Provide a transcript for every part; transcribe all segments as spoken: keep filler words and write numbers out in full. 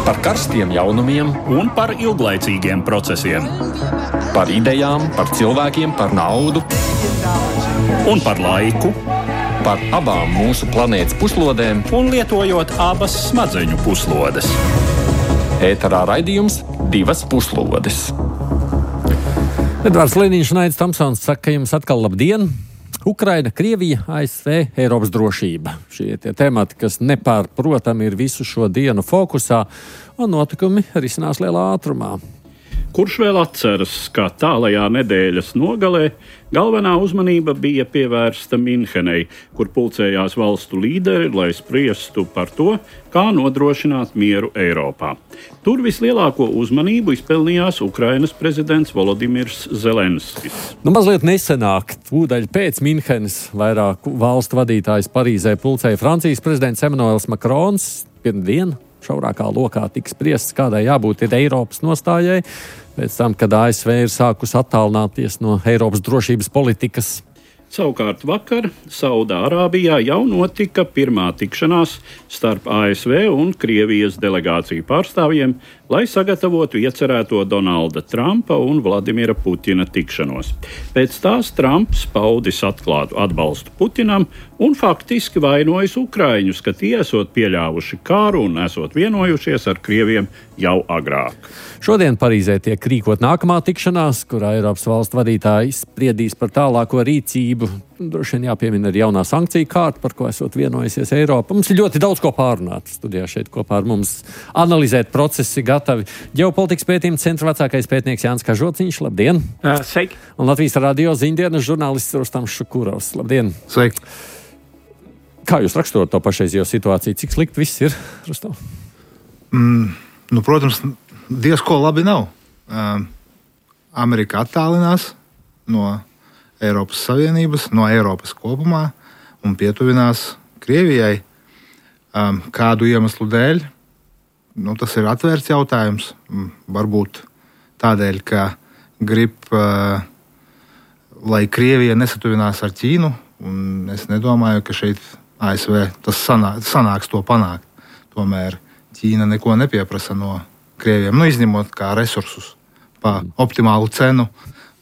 Par karstiem jaunumiem un par ilglaicīgiem procesiem. Par idejām, par cilvēkiem, par naudu. Un par laiku. Par abām mūsu planētas puslodēm. Un lietojot abas smadzeņu puslodes. Ēterā raidījums Divas puslodes. Edvards Liniņš un Aidis Tomsons saka jums atkal labdien! Ukraina, Krievija, A S V, Eiropas drošība. Šie tie temati, kas nepārprotami ir visu šo dienu fokusā, un notikumi risinās lielā ātrumā. Kurš vēl atceras, kā tālajā nedēļas nogalē galvenā uzmanība bija pievērsta Minhenei, kur pulcējās valstu līderi, lai spriestu par to, kā nodrošināt mieru Eiropā. Tur vislielāko uzmanību izpelnījās Ukrainas prezidents Volodimirs Zelenskis. Nu, mazliet nesenāk, tūdaļ pēc Minhenes, vairāk valstu vadītājs Parīzē pulcēja Francijas prezidents Emmanuels Macrons. Pirmdien šaurākā lokā tiks spriests, kādai jābūt ir Eiropas nostājai, pēc tam, kad A S V ir sākus attālināties no Eiropas drošības politikas. Savukārt vakar Saudārābijā jau notika pirmā tikšanās starp A S V un Krievijas delegāciju pārstāvjiem, lai sagatavotu iecerēto Donalda Trumpa un Vladimira Putina tikšanos. Pēc tās Trumps paudis atklātu atbalstu Putinam un faktiski vainojas Ukraiņus, ka tie esot pieļāvuši kāru un esot vienojušies ar Krieviem jau agrāk. Šodien Parīzē tiek rīkot nākamā tikšanās, kurā Eiropas valstu vadītāji spriedīs par tālāko rīcību. Droši vien jāpiemina arī jaunā sankciju kārta, par ko esot vienojusies Eiropa. Mums ir ļoti daudz ko pārunāt. Studijā šeit kopā ar mums analizēt procesi gatavi ģeopolitikas pētījuma centra vecākais pētnieks Jānis Kažociņš. Labdien! Uh, sveiki! Un Latvijas radio ziņdienas žurnālists Rustams Šukurovs. Labdien! Sveiki! Kā jūs raksturot to pašreizējo situāciju? Cik slikti viss ir, Rustam? Mm, nu, protams, diezko labi nav. Uh, Amerika attālinās no Eiropas Savienības, no Eiropas kopumā un pietuvinās Krievijai. Um, kādu iemeslu dēļ? Nu, tas ir atvērts jautājums. Um, varbūt tādēļ, ka grib, uh, lai Krievija nesatuvinās ar Ķīnu, un es nedomāju, ka šeit A S V tas sanā, sanāks to panākt. Tomēr Ķīna neko nepieprasa no Krieviem, nu, izņemot kā resursus pa optimālu cenu.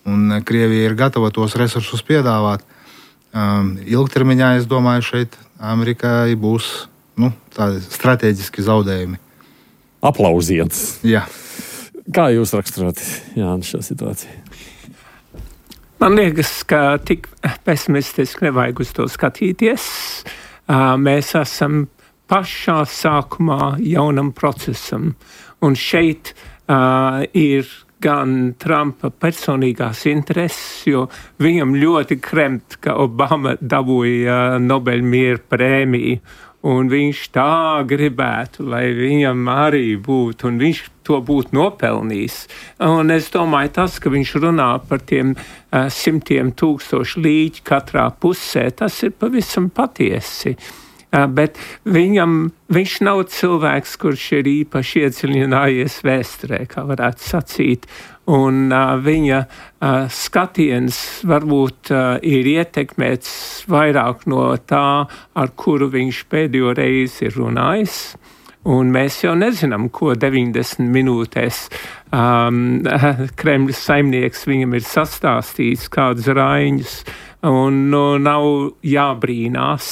Un Krievija ir gatava tos resursus piedāvāt. Um, ilgtermiņā, es domāju, šeit Amerikai būs nu, tādi strateģiski zaudējumi. Aplausiens. Jā. Kā jūs raksturot, Jānis, šo situāciju? Man liekas, ka tik pesimistiski nevajag uz to skatīties. Uh, mēs esam pašā sākumā jaunam procesam. Un šeit uh, ir gan Trumpa personīgās intereses, jo viņam ļoti kremt, ka Obama dabūja Nobeļa miera prēmiju, un viņš tā gribētu, lai viņam arī būtu, un viņš to būtu nopelnījis. Un es domāju, tas, ka viņš runā par tiem uh, simtiem tūkstošu līķi katrā pusē, tas ir pavisam patiesi. Uh, bet viņam, viņš nav cilvēks, kurš ir īpaši iedziļinājies vēsturē, kā varētu sacīt, un uh, viņa uh, skatiens varbūt uh, ir ietekmēts vairāk no tā, ar kuru viņš pēdējo reizi ir runājis. Un mēs jau nezinām, ko deviņdesmit minūtēs um, Kremļa saimnieks viņam ir sastāstījis, kādus raiņus, un nu, nav jābrīnās,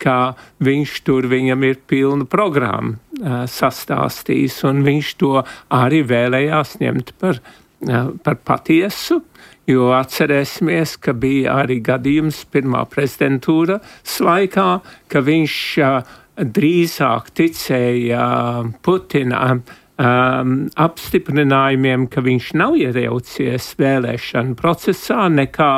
ka viņš tur viņam ir pilnu programmu uh, sastāstījis, un viņš to arī vēlējās ņemt par, uh, par patiesu, jo atcerēsimies, ka bija arī gadījums pirmā prezidentūras laikā, ka viņš uh, drīzāk ticēja uh, Putina um, apstiprinājumiem, ka viņš nav iejaucies vēlēšanu procesā, nekā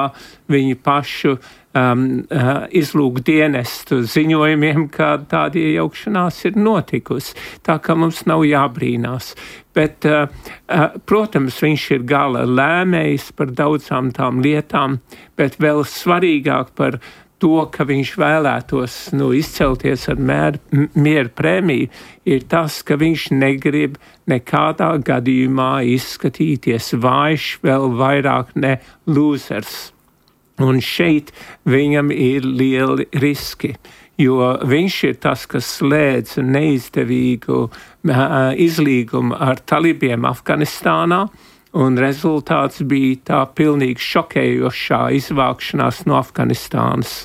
viņu pašu Um, uh, izlūk dienestu ziņojumiem, ka tāda iejaukšanās ir notikusi. Tā kā mums nav jābrīnās. Bet, uh, uh, protams, viņš ir gala lēmējs par daudzām tām lietām, bet vēl svarīgāk par to, ka viņš vēlētos nu, izcelties ar mēr, miera prēmiju, ir tas, ka viņš negrib nekādā gadījumā izskatīties vājš, vēl vairāk ne losers. Un šeit viņam ir lieli riski, jo viņš ir tas, kas slēdz neizdevīgu izlīgumu ar talibiem Afganistānā, un rezultāts bija tā pilnīgi šokējošā izvākšanās no Afganistānas.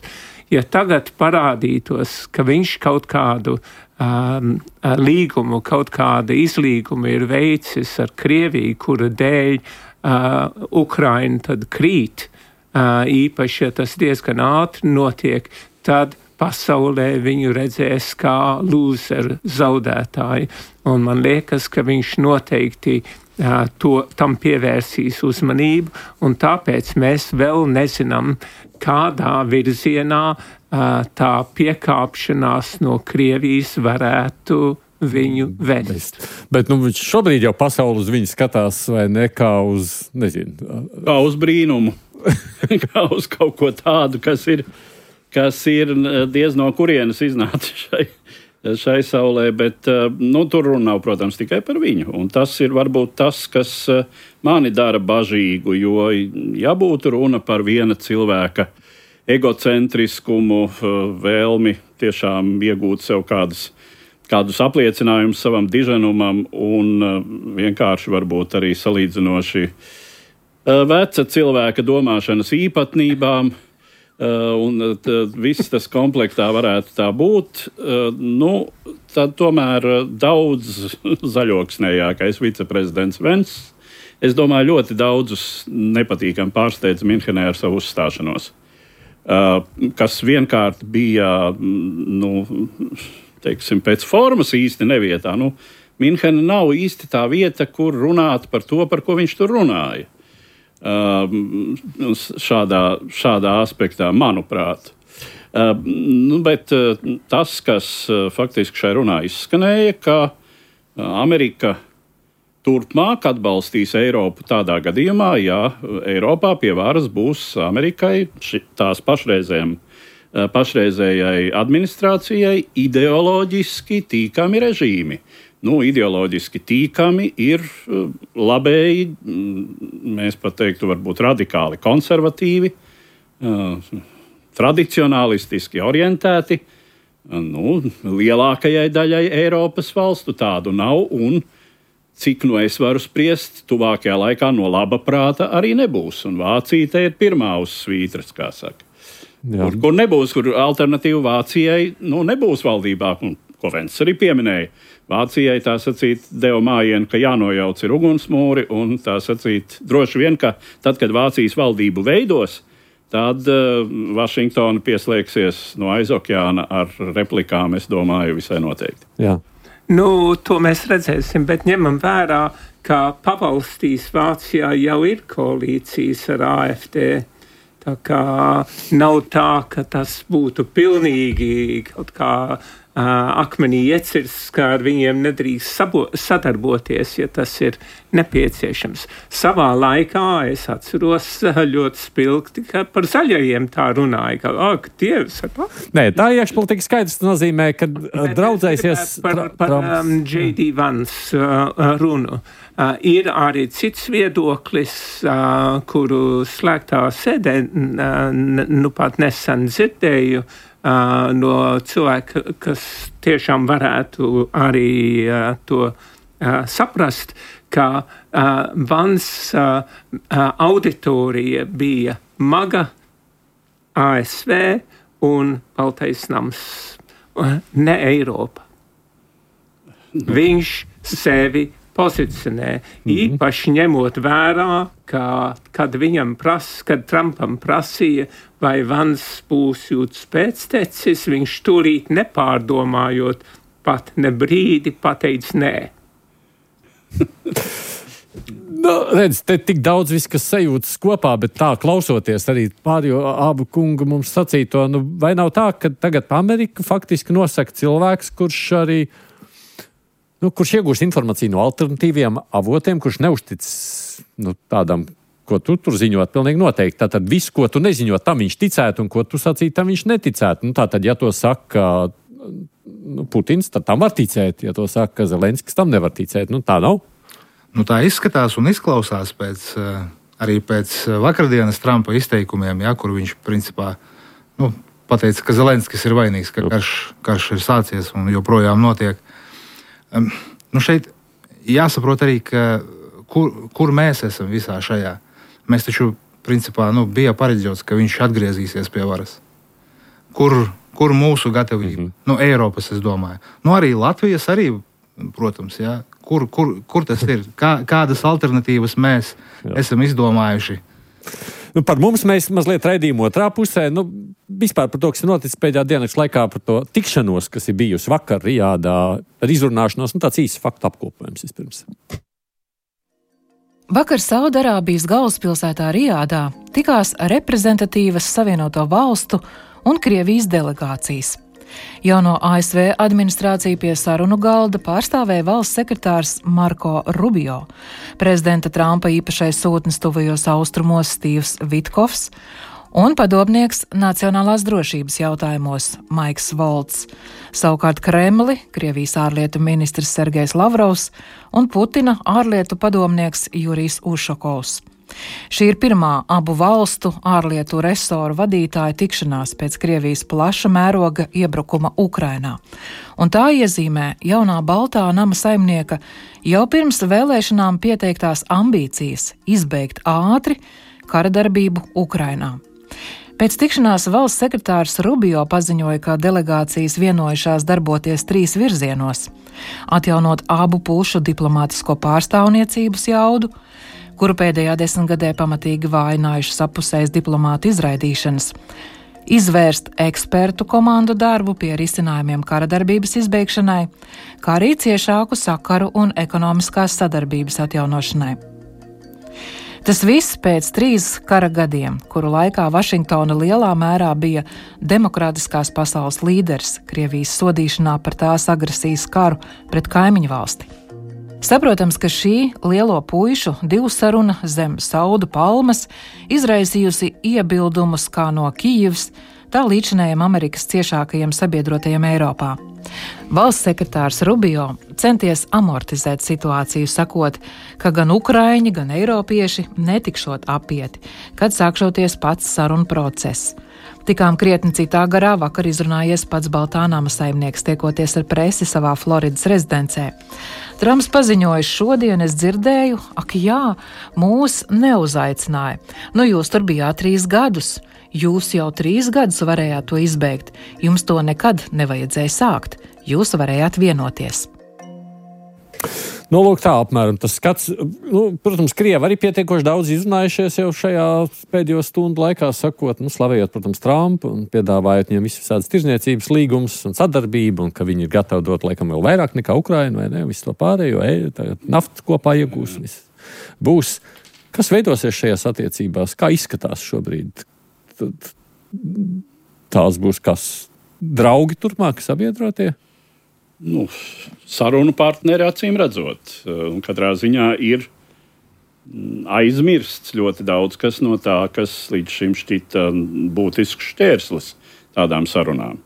Ja tagad parādītos, ka viņš kaut kādu um, līgumu, kaut kādu izlīgumu ir veicis ar Krieviju, kura dēļ uh, Ukraina tad krīt, uh, īpaši, ja tas diezgan ātri notiek, tad pasaulē viņu redzēs kā lūzeru zaudētāju. Un man liekas, ka viņš noteikti uh, to, tam pievērsīs uzmanību, un tāpēc mēs vēl nezinām, kādā virzienā uh, tā piekāpšanās no Krievijas varētu viņu vest. Bet nu, šobrīd jau pasauli uz viņu skatās, vai ne, kā uz, nezinu. Kā uz brīnumu. Kā uz kaut ko tādu, kas ir kas ir diez no kurienes iznāca šai, šai saulē, bet nu, tur runa nav, protams, tikai par viņu. Un tas ir varbūt tas, kas mani dara bažīgu, jo, ja būtu runa par viena cilvēka egocentriskumu, vēlmi tiešām iegūt sev kādus, kādus apliecinājumus savam diženumam un vienkārši varbūt arī salīdzinoši veca cilvēka domāšanas īpatnībām, Uh, un uh, viss tas komplektā varētu tā būt, uh, nu, tad tomēr daudz zaļoksnējākais viceprezidents Vents, es domāju, ļoti daudzus nepatīkam pārsteidz Minhenē ar savu uzstāšanos, uh, kas vienkārt bija, nu, teiksim, pēc formas īsti nevietā. Nu, Minhena nav īsti tā vieta, kur runāt par to, par ko viņš tur runāja. Uh, šādā, šādā aspektā, manuprāt. Uh, nu, bet uh, tas, kas uh, faktiski šai runā izskanēja, ka uh, Amerika turpmāk atbalstīs Eiropu tādā gadījumā, ja Eiropā pie varas būs Amerikai ši, tās pašreizējai, uh, pašreizējai administrācijai ideoloģiski tīkami režīmi. Nu, ideoloģiski tīkami ir labēji, mēs pat teiktu, varbūt radikāli konservatīvi, tradicionālistiski orientēti. Nu, lielākajai daļai Eiropas valstu tādu nav, un cik nu es varu spriest, tuvākajā laikā no laba prāta arī nebūs. Un Vācija te ir pirmā uz svītras, kā saka. Kur, kur nebūs, kur alternatīva Vācijai nu, nebūs valdībā, un ko Vents arī pieminēja. Vācijai tā sacīt deva mājienu, ka jānojauc ir ugunsmūri, un tā sacīt droši vien, ka tad, kad Vācijas valdību veidos, tad uh, Vašingtona pieslēgsies no aizokeāna ar replikām, es domāju, visai noteikti. Jā. Nu, to mēs redzēsim, bet ņemam vērā, ka pavalstīs Vācijā jau ir koalīcijas ar A F D. Tā kā nav tā, ka tas būtu pilnīgi kaut kā uh, akmenī iecirsts, ka ar viņiem nedrīkst sabo, sadarboties, ja tas ir nepieciešams. Savā laikā es atceros ļoti spilgti, ka par zaļajiem tā runāja, ka, ak, Dievs, ar Nē, tā iekšpolitika skaidrs nozīmē, ka draudzēsies par, par um, J D Vance uh, runu. Uh, ir arī cits viedoklis, uh, kuru slēgtā sēdē uh, nu pat nesen dzirdēju uh, no cilvēka, kas tiešām varētu arī uh, to uh, saprast, ka uh, Vans uh, uh, auditorija bija maga, A S V un Baltais nams, uh, ne Eiropa. Viņš sevi pozicionē, mm-hmm. īpaši ņemot vērā, ka, kad viņam pras, kad Trumpam prasīja, vai Vans būs jūtas pēctecis, viņš tūlīt nepārdomājot, pat ne brīdi pateica nē. Nu, redz, te tik daudz viss, kas sajūtas kopā, bet tā klausoties arī pārējo abu kungu mums sacīto, nu, vai nav tā, ka tagad Amerika faktiski nosaka cilvēks, kurš arī Nu, kurš iegūst informāciju no alternatīviem avotiem, kurš neuztic nu, tādam, ko tu tur ziņot, pilnīgi noteikti. Tātad viss, ko tu neziņot, tam viņš ticētu, un ko tu sacītu, tam viņš neticētu. Nu, tātad, ja to saka nu, Putins, tad tam var ticēt. Ja to saka Zelenskis, tam nevar ticēt. Nu, tā nav. Nu, tā izskatās un izklausās pēc, arī pēc vakardienas Trumpa izteikumiem, ja, kur viņš principā nu, pateica, ka Zelenskis ir vainīgs, ka karš, karš ir sācies un joprojām notiek. Um, nu šeit jāsaprot arī, ka kur, kur mēs esam visā šajā. Mēs taču, principā, nu, bija pareģots, ka viņš atgriezīsies pie varas. Kur, kur mūsu gatavība? Mm-hmm. Nu, Eiropas, es domāju. Nu, arī Latvijas arī, protams, jā. Kur, kur, kur tas ir? Kā, kādas alternatīvas mēs jā. esam izdomājuši? Nu, par mums mēs mazliet raidījām otrā pusē. Nu, vispār par to, kas ir noticis pēdējā dienas laikā, par to tikšanos, kas ir bijusi vakar Rijādā, ar izrunāšanos, nu tāds īsts faktu apkopojums vispirms. Vakar Saudarābijas galvaspilsētā Rijādā tikās reprezentatīvas Savienoto valstu un Krievijas delegācijas. Jauno A S V administrāciju pie sarunu galda pārstāvēja valsts sekretārs Marko Rubio, prezidenta Trumpa īpašais sūtnis tuvajos austrumos Stīvs Vitkovs un padomnieks nacionālās drošības jautājumos Maiks Volts. Savukārt Kremli, Krievijas ārlietu ministrs Sergejs Lavrovs un Putina ārlietu padomnieks Jurijs Ušakovs. Šī ir pirmā abu valstu ārlietu resoru vadītāja tikšanās pēc Krievijas plaša mēroga iebrukuma Ukrainā. Un tā iezīmē jaunā Baltā nama saimnieka jau pirms vēlēšanām pieteiktās ambīcijas izbeigt ātri kara darbību Ukrainā. Pēc tikšanās valsts sekretārs Rubio paziņoja, ka delegācijas vienojušās darboties trīs virzienos – atjaunot abu pušu diplomātisko pārstāvniecības jaudu, kuru pēdējā desmitgadē pamatīgi vājinājušas apusējas diplomātu izraidīšanas, izvērst ekspertu komandu darbu pie risinājumiem kara darbības izbeigšanai, kā arī ciešāku sakaru un ekonomiskās sadarbības atjaunošanai. Tas viss pēc trīs kara gadiem, kuru laikā Vašingtona lielā mērā bija demokrātiskās pasaules līderis Krievijas sodīšanā par tās agresijas karu pret kaimiņu valsti. Saprotams, ka šī lielo puišu divsaruna zem Saudu palmas izraisījusi iebildumus kā no Kijivas, tā līdzinējiem Amerikas ciešākajiem sabiedrotajiem Eiropā. Valsts sekretārs Rubio centies amortizēt situāciju, sakot, ka gan ukraiņi, gan eiropieši netikšot apieti, kad sākšoties pats sarunu process. Tikām krietni citā garā vakar izrunājies pats Baltā nama saimnieks, tiekoties ar presi savā Floridas rezidencē. Trumps paziņoja, šodien es dzirdēju, ak jā, mūs neuzaicināja. Nu jūs tur bijāt trīs gadus. Jūs jau trīs gadus varējāt to izbeigt. Jums to nekad nevajadzēja sākt. Jūs varējāt vienoties. Nu, lūk, tā apmēram tas skats. Nu, protams, Krievi arī pietiekoši daudz izrunājušies jau šajā pēdējo stundu laikā, sakot, nu, slavējot, protams, Trumpu un piedāvājot viņam visas tādas tirzniecības līgumus un sadarbību, un ka viņi ir gatavi dot, laikam, vēl vairāk nekā Ukraina, vai ne, visu to pārējo, e, naftu kopā iegūs, viss būs. Kas veidosies šajās attiecībās? Kā izskatās šobrīd? Tad tās būs kas? Draugi turpmāk, sabiedrotie? Nu, sarunu partneri acīm redzot. Un katrā ziņā ir aizmirsts ļoti daudz kas no tā, kas līdz šim šķita būtisks šķērslis tādām sarunām.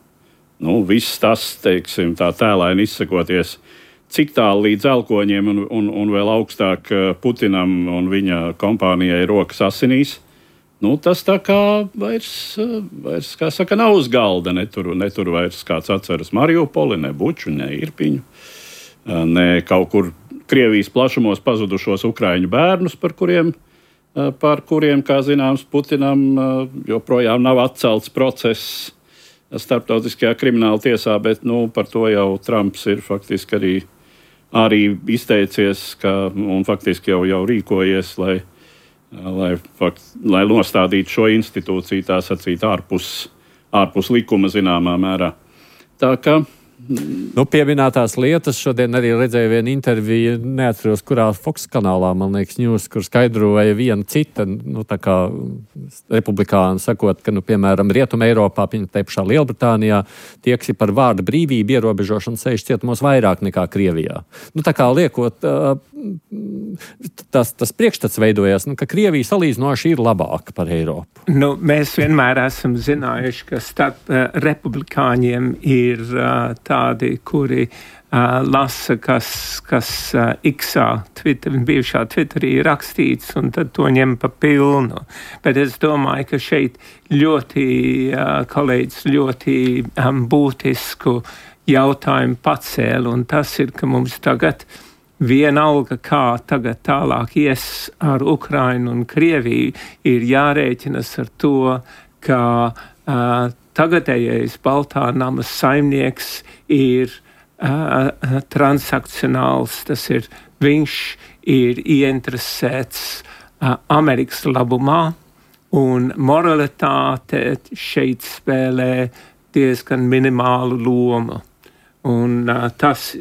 Nu, viss tas, teiksim, tā tēlaini izsakoties, cik tālu līdz elkoņiem un, un, un vēl augstāk Putinam un viņa kompānijai rokas asinīs. Nu, tas tā kā vairs, vairs kā saka, nav uz galda. Netur, netur vairs kāds atceras Mariupoli, ne Buču, ne Irpiņu, ne kaut kur Krievijas plašumos pazudušos ukraiņu bērnus, par kuriem, par kuriem, kā zināms, Putinam joprojām nav atcelts process starptautiskajā krimināla tiesā, bet nu, par to jau Trumps ir faktiski arī, arī izteicies ka, un faktiski jau, jau rīkojies, lai Lai, fakt, lai nostādītu šo institūciju, tā sacīt, ārpus, ārpus likuma zināmā mērā. Tā kā Nu, pieminētās lietas, šodien arī redzēju vienu interviju, neatceros, kurā Fox kanālā, man liekas, news, kur skaidroja viena cita, nu, tā kā republikāni sakot, ka, nu, piemēram, Rietuma Eiropā, te pašā Lielbritānijā, tie, kas ir par vārda brīvību ierobežošanu, sēž cietumos vairāk nekā Krievijā. Nu, tā kā liekot, tas, tas priekšstats veidojās, nu, ka Krievija salīdzinoši ir labāka par Eiropu. Nu, mēs vienmēr esam zinājuši, ka starp uh, republikāņiem ir uh, tādi, kuri uh, lasa, kas, kas uh, X-ā, Twitter, bijušā Twitterī rakstīts, un tad to ņem pa pilnu. Bet es domāju, ka šeit ļoti, uh, kolēģis ļoti um, būtisku jautājumu pacēla, un tas ir, ka mums tagad vienalga, kā tagad tālāk ies ar Ukrainu un Krieviju, ir jārēķinas ar to, ka uh, tagadējais Baltā nama saimnieks ir uh, transakcionāls, tas ir, viņš ir ieinteresēts uh, Amerikas labumā, un moralitāte šeit spēlē diezgan minimālu lomu. Un uh, tas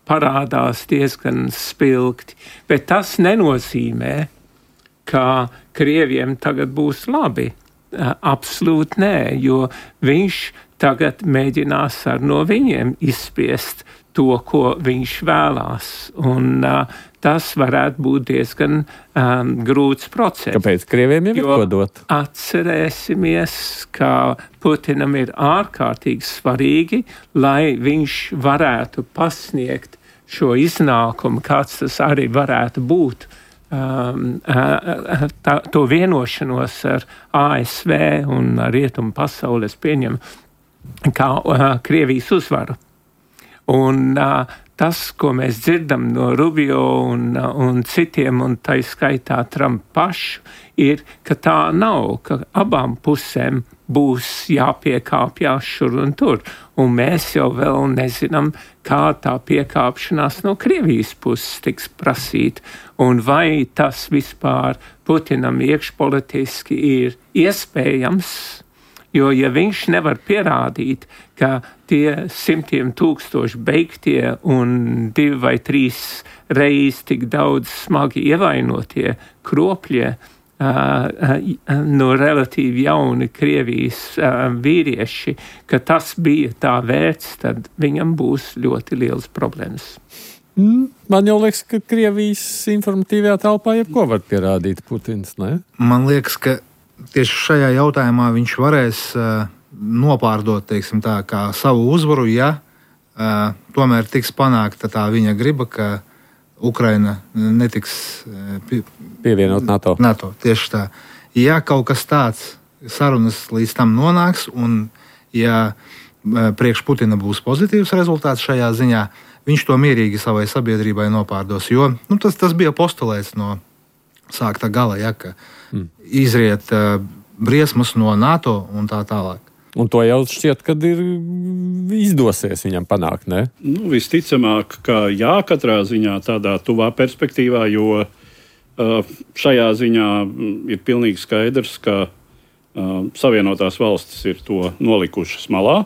parādās diezgan spilgti, bet tas nenozīmē, ka Krieviem tagad būs labi. Uh, absolūti nē, jo viņš tagad mēģinās ar no viņiem izspiest to, ko viņš vēlās. Un uh, tas varētu būt diezgan um, grūts process. Kāpēc Krieviem jau ir ko dot? Atcerēsimies, ka Putinam ir ārkārtīgi svarīgi, lai viņš varētu pasniegt šo iznākumu, kāds tas arī varētu būt, um, tā, to vienošanos ar A S V un rietumu pasauli, es pieņemu, kā uh, Krievijas uzvaru. Un uh, tas, ko mēs dzirdam no Rubio un, uh, un citiem, un tā skaitā Trumpa pašu, ir, ka tā nav, ka abām pusēm būs jāpiekāpjās šur un tur. Un mēs jau vēl nezinām, kā tā piekāpšanās no Krievijas puses tiks prasīt. Un vai tas vispār Putinam iekšpolitiski ir iespējams, jo ja viņš nevar pierādīt, ka tie simtiem tūkstoši beigtie un divi vai trīs reiz tik daudz smagi ievainotie kropļie, Uh, uh, no relatīvi jauni Krievijas uh, vīrieši, ka tas bija tā vērts, tad viņam būs ļoti liels problēmas. Mm, man jau liekas, ka Krievijas informatīvajā telpā jebko var pierādīt Putins, ne? Man liekas, ka tieši šajā jautājumā viņš varēs uh, nopārdot, teiksim tā, kā savu uzvaru, ja uh, tomēr tiks panākta tā viņa griba, ka Ukraina netiks pie, pievienot NATO. NATO. Tieši tā. Ja kaut kas tāds sarunas līdz tam nonāks, un ja priekš Putina būs pozitīvs rezultāts šajā ziņā, viņš to mierīgi savai sabiedrībai nopārdos. Jo nu, tas, tas bija postulēts no sākta gala, ja, ka mm. izriet uh, briesmas no NATO un tā tālāk. Un to jau šķiet, kad ir izdosies viņam panākt, ne? Nu, visticamāk, ka jā, katrā ziņā tādā tuvā perspektīvā, jo uh, šajā ziņā ir pilnīgi skaidrs, ka uh, Savienotās valstis ir to nolikušas malā.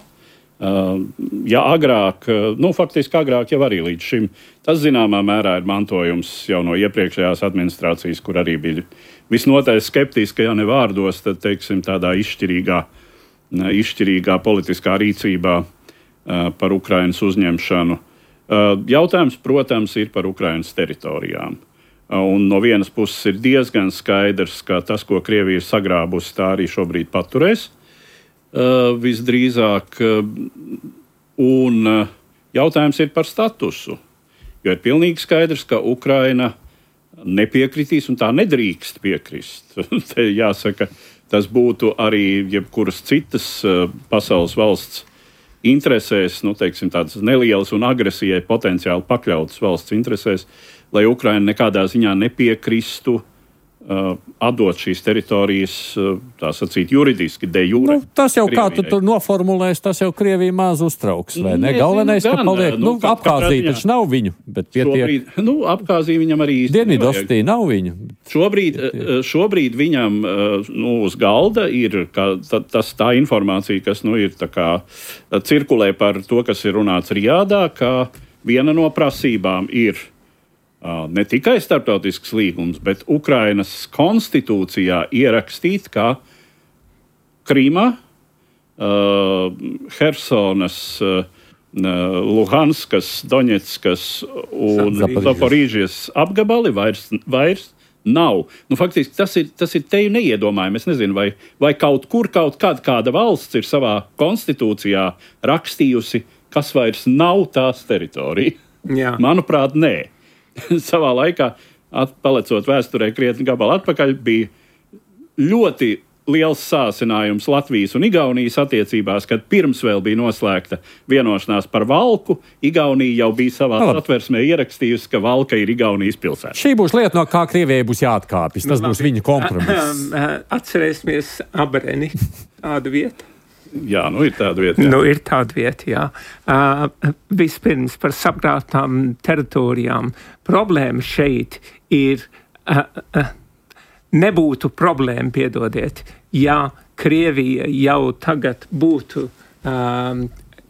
Uh, ja agrāk, uh, nu faktiski agrāk jau arī līdz šim, tas zināmā mērā ir mantojums jau no iepriekšējās administrācijas, kur arī bija visnotaļ skeptiska, ja ne vārdos, tad teiksim tādā izšķirīgā izšķirīgā politiskā rīcībā uh, par Ukrainas uzņemšanu. Uh, jautājums, protams, ir par Ukrainas teritorijām. Uh, un no vienas puses ir diezgan skaidrs, ka tas, ko Krievija ir sagrābusi, tā arī šobrīd paturēs uh, visdrīzāk. Uh, un uh, jautājums ir par statusu. Jo ir pilnīgi skaidrs, ka Ukraina nepiekritīs un tā nedrīkst piekrist. Te jāsaka, tas būtu arī jebkuras citas uh, pasaules valsts interesēs, nu, teiksim, tādas nelielas un agresijai potenciāli pakļautas valsts interesēs, lai Ukraina nekādā ziņā nepiekristu uh, atdot šīs teritorijas, uh, tā sacīt, juridiski, de jure. Nu, tas jau, Krievijai. kā tu tur noformulēs, tas jau Krievija maz uztrauks, vai ne? Nezinu, Galvenais, gan, ka paliek, nu, nu, ka- Abhāzija katrā taču nav viņu, bet pietiek. Šobrīd, nu, Abhāzija viņam arī īsti nevajag. Dienvidostī nav viņu. Šobrīd, šobrīd viņam nu, uz galda ir ka, ta, tas, tā informācija, kas nu, ir tā kā, cirkulē par to, kas ir runāts Rijādā, ka viena no prasībām ir uh, ne tikai starptautisks līgums, bet Ukrainas konstitūcijā ierakstīt, ka Krīma, uh, Hersonas, uh, Luhanskas, Doņetskas un Zaporīžijas apgabali vairs, vairs nav. Nu, faktiski tas ir, tas ir teju neiedomājami. Es nezinu, vai, vai kaut kur kaut kāda, kāda valsts ir savā konstitūcijā rakstījusi kas vairs nav tās teritorija. Jā. Manuprāt, nē. Savā laikā, palecot vēsturē krietni gabalu atpakaļ, bija ļoti liels sāsinājums Latvijas un Igaunijas attiecībās, kad pirms vēl bija noslēgta vienošanās par Valku, Igaunija jau bija savā satversmē ierakstījusi, ka Valka ir Igaunijas pilsēta. Šī būs lieta, no kā Krievijai būs jāatkāpjas. Tas būs viņa kompromiss. Atcerēsimies Abreni, tādu vietu. Jā, nu ir tāda vieta. Jā. Nu, ir tāda vieta, jā. Uh, vispirms par sagrātām teritorijām. Problēma šeit ir, uh, uh, nebūtu problēma, piedodiet, ja Krievija jau tagad būtu, um,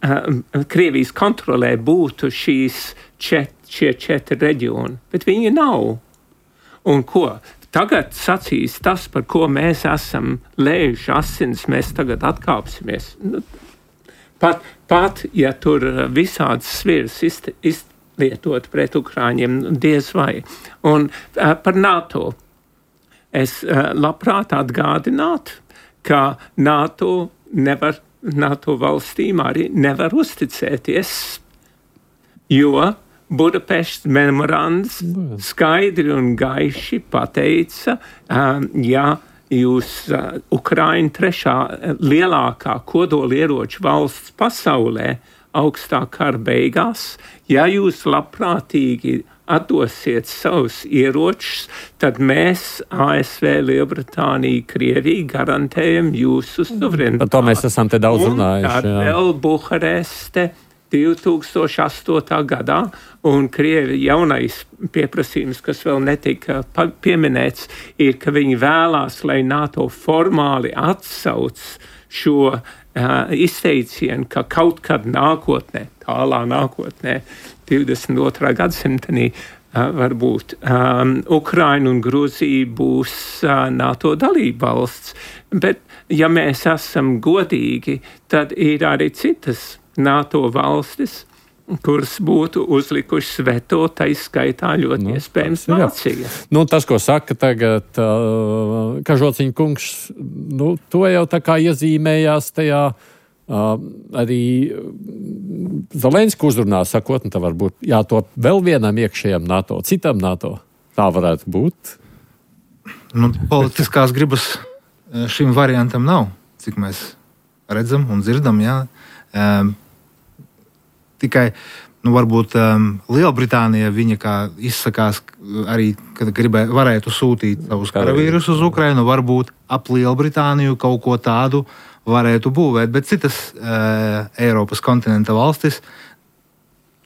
uh, Krievijas kontrolē būtu šīs čet, šie četri reģioni, bet viņi nav. Un ko? Tagad sacīs tas, par ko mēs esam lējuši asins, mēs tagad atkāpsimies. Pat, pat ja tur visādas sviras izlietot pret Ukraiņiem, diez vai. Un uh, par NATO. Es uh, labprāt atgādinātu, ka NATO, nevar, NATO valstīm arī nevar uzticēties, jo Budapeštas memorands skaidri un gaiši pateica, um, ja jūs uh, Ukraina trešā lielākā kodolieroču valsts pasaulē augstā kara beigās, ja jūs labprātīgi atdosiet savus ieročus, tad mēs, A S V, Lielbritānija, Krievija, garantējam jūsu suverenitāti. Par to mēs esam te daudz runājuši. Un tad vēl Buhareste divi tūkstoši astotajā gadā, un Krievi jaunais pieprasījums, kas vēl netika pieminēts, ir, ka viņi vēlās, lai NATO formāli atsauc šo uh, izteicienu, ka kaut kad nākotnē, tālā nākotnē, divdesmit otrā gadsimtenī, uh, varbūt um, Ukraina un Gruzija būs uh, NATO dalība valsts. Bet, ja mēs esam godīgi, tad ir arī citas NATO valstis, kuras būtu uzlikušas veto, tā izskaitā ļoti nu, iespējams Vācija. Nu, tas, ko saka tagad uh, Kažociņa kungs, nu, to jau tā kā iezīmējās tajā uh, arī Zelenska uzrunā, sakot, nu, tā varbūt jātop vēl vienam iekšējam NATO, citam NATO. Tā varētu būt. Nu, politiskās gribas šim variantam nav, cik mēs redzam un dzirdam, jā. Um, tikai, nu, varbūt um, Lielbritānija viņa kā izsakās arī, kad gribē, varētu sūtīt savus karavīrus uz Ukrainu, varbūt ap Lielbritāniju kaut ko tādu varētu būvēt, bet citas uh, Eiropas kontinenta valstis,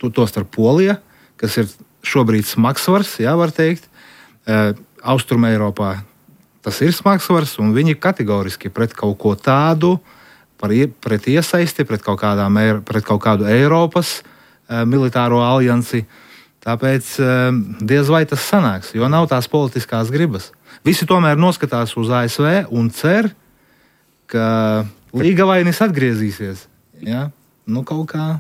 to, to starp Polija, kas ir šobrīd smagsvars, jā, var teikt, uh, Austrum Eiropā tas ir smagsvars, un viņi kategoriski pret kaut ko tādu Par, pret iesaisti, pret kaut, kādām, pret kaut kādu Eiropas uh, militāro aliansi. Tāpēc uh, diez vai tas sanāks, jo nav tās politiskās gribas. Visi tomēr noskatās uz A S V un cer, ka līgavainis atgriezīsies. Ja? Nu, kaut kā.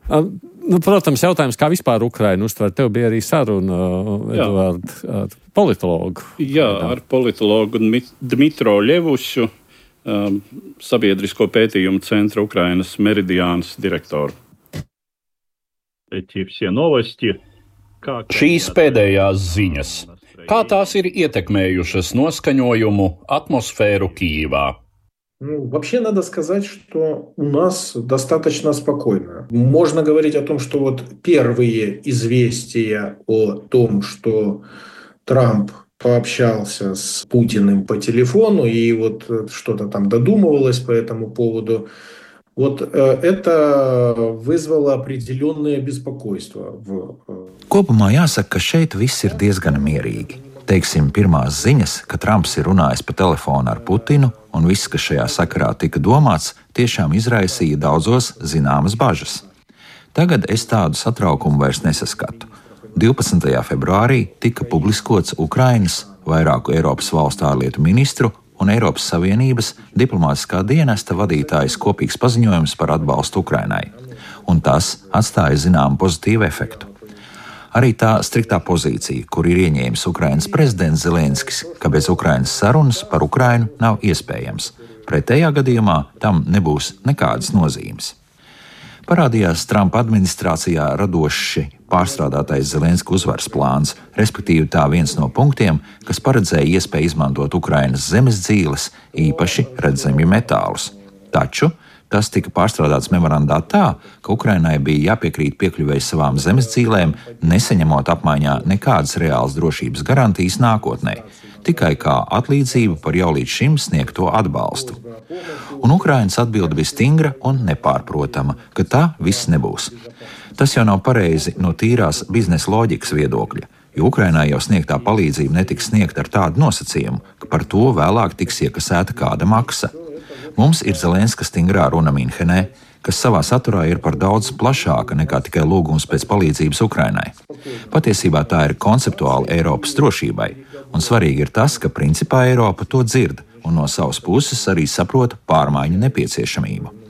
Nu, protams, jautājums, kā vispār Ukraina uztver. Tev bija arī saruna, Eduard, ar politologu. Jā, ar politologu Dmitro Ļevušu. Um, sabiedrisko pētījumu centra Ukrainas Meridiānas direktoru. Šīs pēdējās ziņas. Kā tās ir ietekmējušas noskaņojumu atmosfēru Kijivā? Ну, вообще надо сказать, что у нас достаточно спокойно. Можно говорить о том, что вот первые известия о том, что Трамп пообщался с Путиным по телефону и вот что-то там додумывалось по этому поводу. Вот это вызвало определенное беспокойство. Kopumā jāsaka, ka šeit viss ir diezgan mierīgi. Teiksim, pirmās ziņas, ka Trumps ir runājis pa telefonu ar Putinu, un viss, kas šajā sakarā tika domāts, tiešām izraisīja daudzos zināmas bažas. Tagad es tādu satraukumu vairs nesaskatu. divpadsmitajā februārī tika publiskots Ukrainas, vairāku Eiropas valstu ārlietu ministru un Eiropas Savienības diplomātiskā dienesta vadītājas kopīgs paziņojums par atbalstu Ukrainai, un tas atstāja zināmu pozitīvu efektu. Arī tā striktā pozīcija, kur ir ieņēmis Ukrainas prezidents Zelenskis, ka bez Ukrainas sarunas par Ukrainu nav iespējams. Pretējā gadījumā tam nebūs nekādas nozīmes. Parādījās Trumpa administrācijā radoši pārstrādātais Zelenska uzvaras plāns, respektīvi tā viens no punktiem, kas paredzēja iespēju izmantot Ukrainas zemes dzīves, īpaši redzamju metālus. Taču tas tika pārstrādāts memorandā tā, ka Ukrainai bija jāpiekrīt piekļuvēji savām zemes dzīvēm, nesaņemot apmaiņā nekādas reālas drošības garantijas nākotnē, tikai kā atlīdzību par jau līdz šim sniegto atbalstu. Un Ukrainas atbilde bija stingra un nepārprotama, ka tā viss nebūs. Tas jau nav pareizi no tīrās biznesa loģikas viedokļa, jo Ukrainai jau sniegtā palīdzība netiks sniegta ar tādu nosacījumu, ka par to vēlāk tiks iekasēta kāda maksa. Mums ir Zelenska stingrā runa Minhenē, kas savā saturā ir par daudz plašāka nekā tikai lūgums pēc palīdzības Ukrainai. Patiesībā tā ir konceptuāla Eiropas drošībai, un svarīgi ir tas, ka principā Eiropa to dzird un no savas puses arī saprota pārmaiņu nepieciešamību.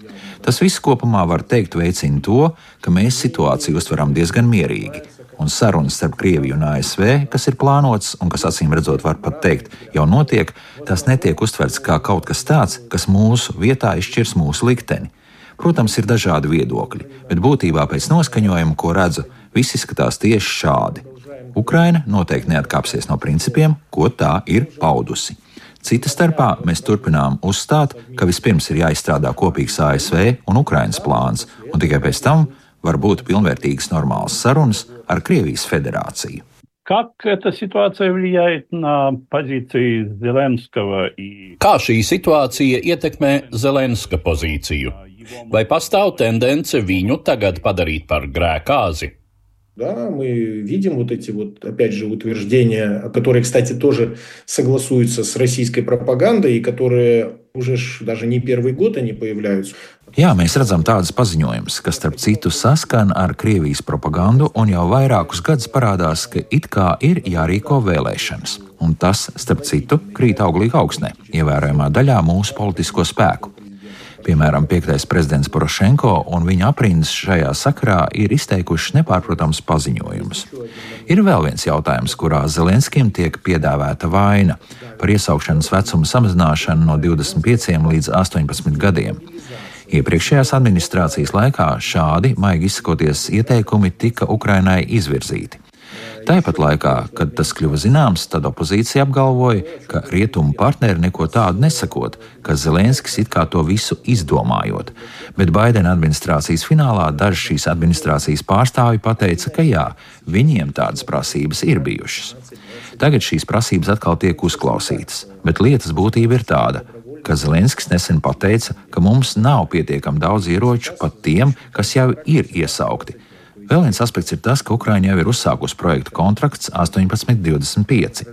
Tas viss kopumā var teikt veicina to, ka mēs situāciju uztveram diezgan mierīgi, un sarunas starp Krieviju un A S V, kas ir plānotas un kas acīm redzot var pat teikt jau notiek, tas netiek uztverts kā kaut kas tāds, kas mūsu vietā izšķirs mūsu likteni. Protams, ir dažādi viedokļi, bet būtībā pēc noskaņojuma, ko redzu, viss izskatās tieši šādi. Ukraina noteikti neatkāpsies no principiem, ko tā ir paudusi. Cita starpā mēs turpinām uzstāt, ka vispirms ir jāizstrādā kopīgs A S V un Ukrainas plāns, un tikai pēc tam var būt pilnvērtīgas normālas sarunas ar Krievijas federāciju. Как эта ситуация влияет на позиции Зеленского и... Kā šī situācija ietekmē Zelenska pozīciju? Vai pastāv tendence viņu tagad padarīt par grēkāzi? Да, мы видим вот эти вот, опять же, утверждения, которые, кстати, тоже согласуются с российской пропагандой, и которые уже даже не первый год они появляются. Jā, mēs redzam tādas paziņojumus, kas starp citu saskan ar Krievijas propagandu, un jau vairākus gadus parādās, ka it kā ir jārīko vēlēšanas. Un tas, starp citu, krīt auglīgi augstnē, ievērojamā daļā mūsu politisko spēku. Piemēram, piektais prezidents Porošenko un viņa aprindas šajā sakarā ir izteikuši nepārprotams paziņojumus. Ir vēl viens jautājums, kurā Zelenskim tiek piedāvāta vaina par iesaukšanas vecuma samazināšanu no divdesmit pieciem līdz astoņpadsmit gadiem. Iepriekšējās administrācijas laikā šādi, maigi izsakoties, ieteikumi tika Ukrainai izvirzīti. Tāpat laikā, kad tas kļuva zināms, tad opozīcija apgalvoja, ka rietumu partneri neko tādu nesakot, ka Zelenskis it kā to visu izdomājot. Bet Baidena administrācijas finālā daži šīs administrācijas pārstāvji pateica, ka jā, viņiem tādas prasības ir bijušas. Tagad šīs prasības atkal tiek uzklausītas, bet lietas būtība ir tāda, ka Zelenskis nesen pateica, ka mums nav pietiekami daudz ieroču pat tiem, kas jau ir iesaukti. Vēl viens aspekts ir tas, ka Ukraiņa jau ir uzsākusi projektu kontrakts astoņpadsmit divdesmit pieci.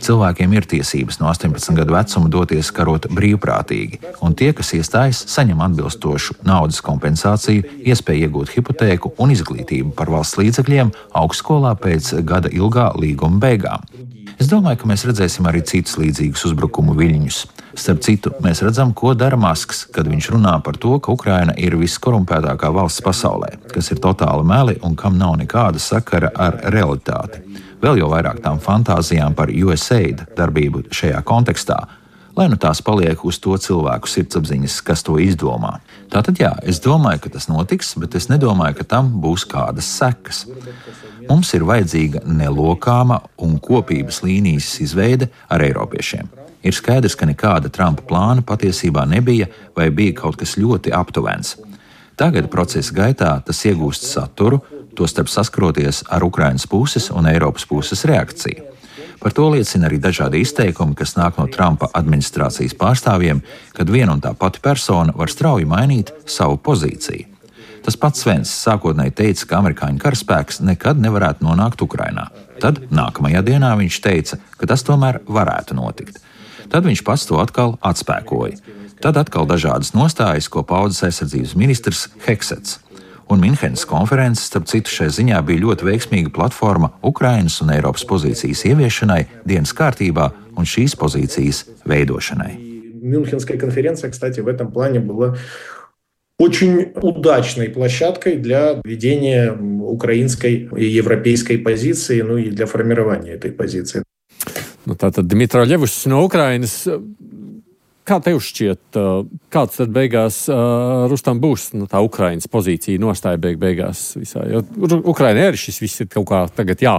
Cilvēkiem ir tiesības no astoņpadsmit gadu vecuma doties karot brīvprātīgi, un tie, kas iestājas, saņem atbilstošu naudas kompensāciju, iespēju iegūt hipotēku un izglītību par valsts līdzekļiem augstskolā pēc gada ilgā līguma beigām. Es domāju, ka mēs redzēsim arī citus līdzīgus uzbrukumu viļņus. Starp citu, mēs redzam, ko dara Masks, kad viņš runā par to, ka Ukraina ir viskorumpētākā valsts pasaulē, kas ir totāli meli un kam nav nekāda sakara ar realitāti. Vēl jau vairāk tām fantāzijām par U S A I D darbību šajā kontekstā, lai nu tās paliek uz to cilvēku sirdsapziņas, kas to izdomā. Tātad jā, es domāju, ka tas notiks, bet es nedomāju, ka tam būs kādas sekas. Mums ir vajadzīga nelokāma un kopības līnijas izveide ar eiropiešiem. Ir skaidrs, ka nekāda Trumpa plāna patiesībā nebija vai bija kaut kas ļoti aptuvens. Tagad procesa gaitā tas iegūst saturu, tostarp saskaroties ar Ukrainas puses un Eiropas puses reakciju. Par to liecina arī dažādi izteikumi, kas nāk no Trumpa administrācijas pārstāvjiem, kad viena un tā pati persona var strauji mainīt savu pozīciju. Tas pats Svens sākotnēji teica, ka amerikāņu karaspēks nekad nevarētu nonākt Ukrainā. Tad nākamajā dienā viņš teica, ka tas tomēr varētu notikt. Tad viņš pats to atkal atspēkoja. Tad atkal dažādas nostājas, ko paudzes aizsardzības ministrs Heksets. Un Minhenes konferences, starp citu, šai ziņā bija ļoti veiksmīga platforma Ukrainas un Eiropas pozīcijas ieviešanai dienas kārtībā un šīs pozīcijas veidošanai. Мюнхенская конференция, кстати, в этом плане была очень удачной площадкой для ведения украинской и европейской позиции, ну и для формирования этой позиции. Nu, tātad Dmitro Ļevus no Ukrainas Kā tev šķiet, kāds tad beigās uh, Rustam būs nu, tā Ukrainas pozīcija nostāja beig beigās visā? Jo Ukraina arī šis viss ir kaut kā tagad jā,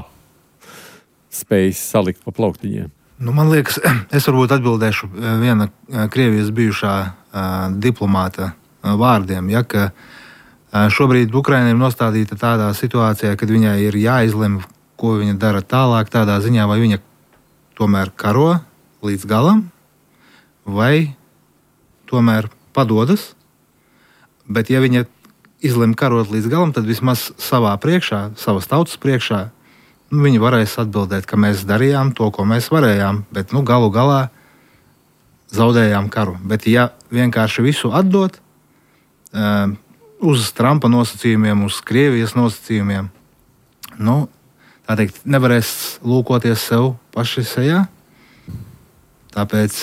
spēj salikt pa plauktiņiem. Nu, man liekas, es varbūt atbildēšu viena Krievijas bijušā uh, diplomāta uh, vārdiem, ja, ka uh, šobrīd Ukraina ir nostādīta tādā situācijā, kad viņai ir jāizlem, ko viņa dara tālāk, tādā ziņā, vai viņa tomēr karo līdz galam, vai tomēr padodas, bet ja viņa izlem karot līdz galam, tad vismaz savā priekšā, savas tautas priekšā, nu, viņi varēs atbildēt, ka mēs darījām to, ko mēs varējām, bet nu, galu galā zaudējām karu. Bet ja vienkārši visu atdot uh, uz Trumpa nosacījumiem, uz Krievijas nosacījumiem, nu, tā teikt, nevarēs lūkoties sev paši sejā. Tāpēc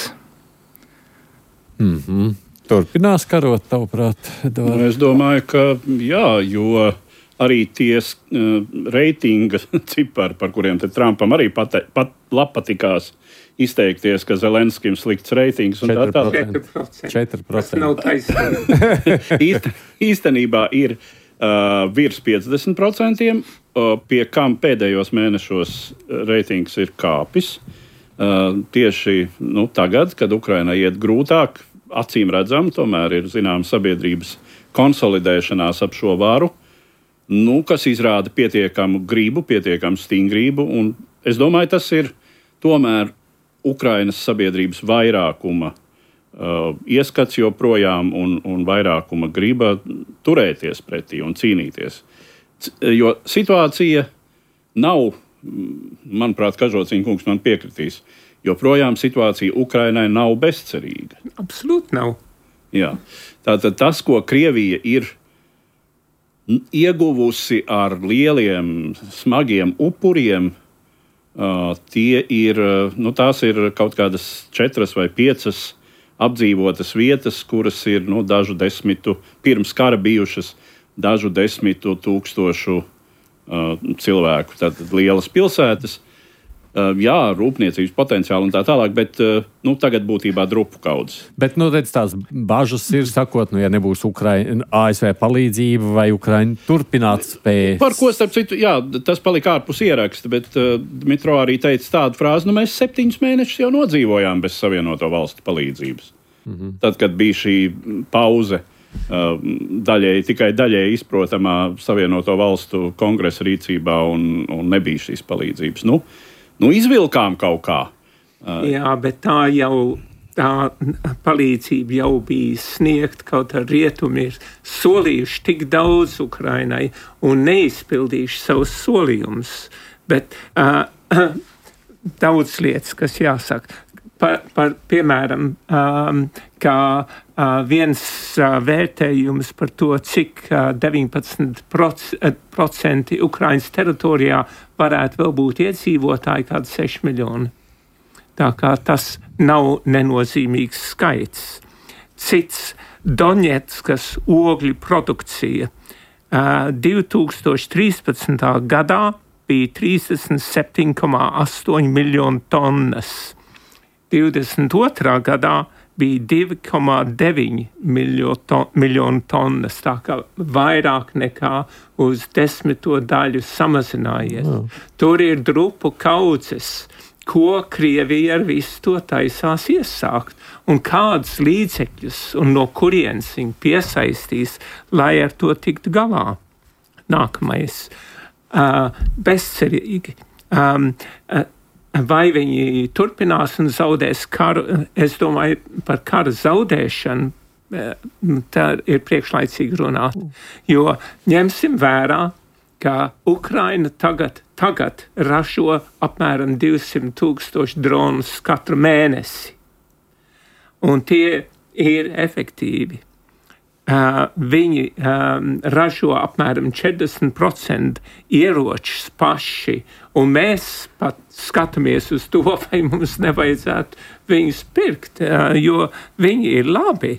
Mm-hmm. Turpinās karot, tavuprāt? Nu, es domāju, ka jā, jo arī tie uh, reitinga cipari, par kuriem te Trumpam arī pat, pat patikās izteikties, ka Zelenskim slikts reitings un tā tālāk. četri procenti. Tas nav taisnība. Īst, īstenībā ir uh, virs piecdesmit procenti, uh, pie kam pēdējos mēnešos reitings ir kāpis. Uh, tieši nu, tagad, kad Ukrainai iet grūtāk, acīm redzam, tomēr ir zināma sabiedrības konsolidēšanās ap šo varu, nu, kas izrāda pietiekamu gribu, pietiekamu stingrību. Un es domāju, tas ir tomēr Ukrainas sabiedrības vairākuma uh, ieskats joprojām un, un vairākuma griba turēties pretī un cīnīties. C- jo situācija nav, manuprāt, Kažociņa kungs man piekritīs, joprojām situācija Ukrainai nav bezcerīga. Absolūti nav. Jā. Tātad tas, ko Krievija ir ieguvusi ar lieliem, smagiem upuriem, uh, tie ir, nu, tās ir kaut kādas četras vai piecas apdzīvotas vietas, kuras ir nu, dažu desmitu pirms kara bijušas, dažu desmitu tūkstošu uh, cilvēku. Tātad lielas pilsētas. Uh, jā, rūpniecības potenciāli un tā tālāk, bet uh, nu, tagad būtībā drupu kaudzes. Bet, nu, redz, tās bažas ir, sakot, nu, ja nebūs Ukraina, A S V palīdzība vai Ukraina turpināt spējas. Par ko, starp citu, jā, tas palika ārpus ieraksta, bet uh, Dmitro arī teica tādu frāzi, nu, mēs septiņus mēnešus jau nodzīvojām bez Savienoto valstu palīdzības. Mm-hmm. Tad, kad bija šī pauze, uh, daļēji, tikai daļēji izprotamā Savienoto valstu kongresa rīcībā un, un nebija šīs palīdzības. Nu, Nu, izvilkām kaut kā. Jā, bet tā jau, tā palīdzība jau bija sniegt, kaut ar rietumi ir solījuši tik daudz Ukrainai un neizpildījuši savus solījumus. Bet uh, daudz lietas, kas jāsaka. Par, par, piemēram, um, kā uh, viens uh, vērtējums par to, cik uh, deviņpadsmit procenti Ukrainas teritorijā varētu vēl būt iedzīvotāji, kādi seši miljoni. Tā kā tas nav nenozīmīgs skaits. Cits Doņetskas ogļu produkcija uh, divi tūkstoši trīspadsmitā gadā bija trīsdesmit septiņi komā astoņi miljoni tonnas. divdesmit otrā gadā bija divi komā deviņi miljoni tonnas, tā kā vairāk nekā uz desmito daļu samazinājies. Mm. Tur ir drupu kaudzes, ko Krievija ar visu to taisās iesākt, un kādus līdzekļus un no kurienes viņi piesaistīs, lai ar to tiktu galā. Nākamais. Uh, bezcerīgi. Um, uh, Vai viņi turpinās un zaudēs karu? Es domāju, par kara zaudēšanu tā ir priekšlaicīgi runāt. Jo ņemsim vērā, ka Ukraina tagad, tagad ražo apmēram divsimt tūkstoši dronus katru mēnesi. Un tie ir efektīvi. Uh, viņi um, ražo apmēram četrdesmit procenti ieročus paši, un mēs pat skatāmies uz to, vai mums nevajadzētu viņus pirkt, uh, jo viņi ir labi.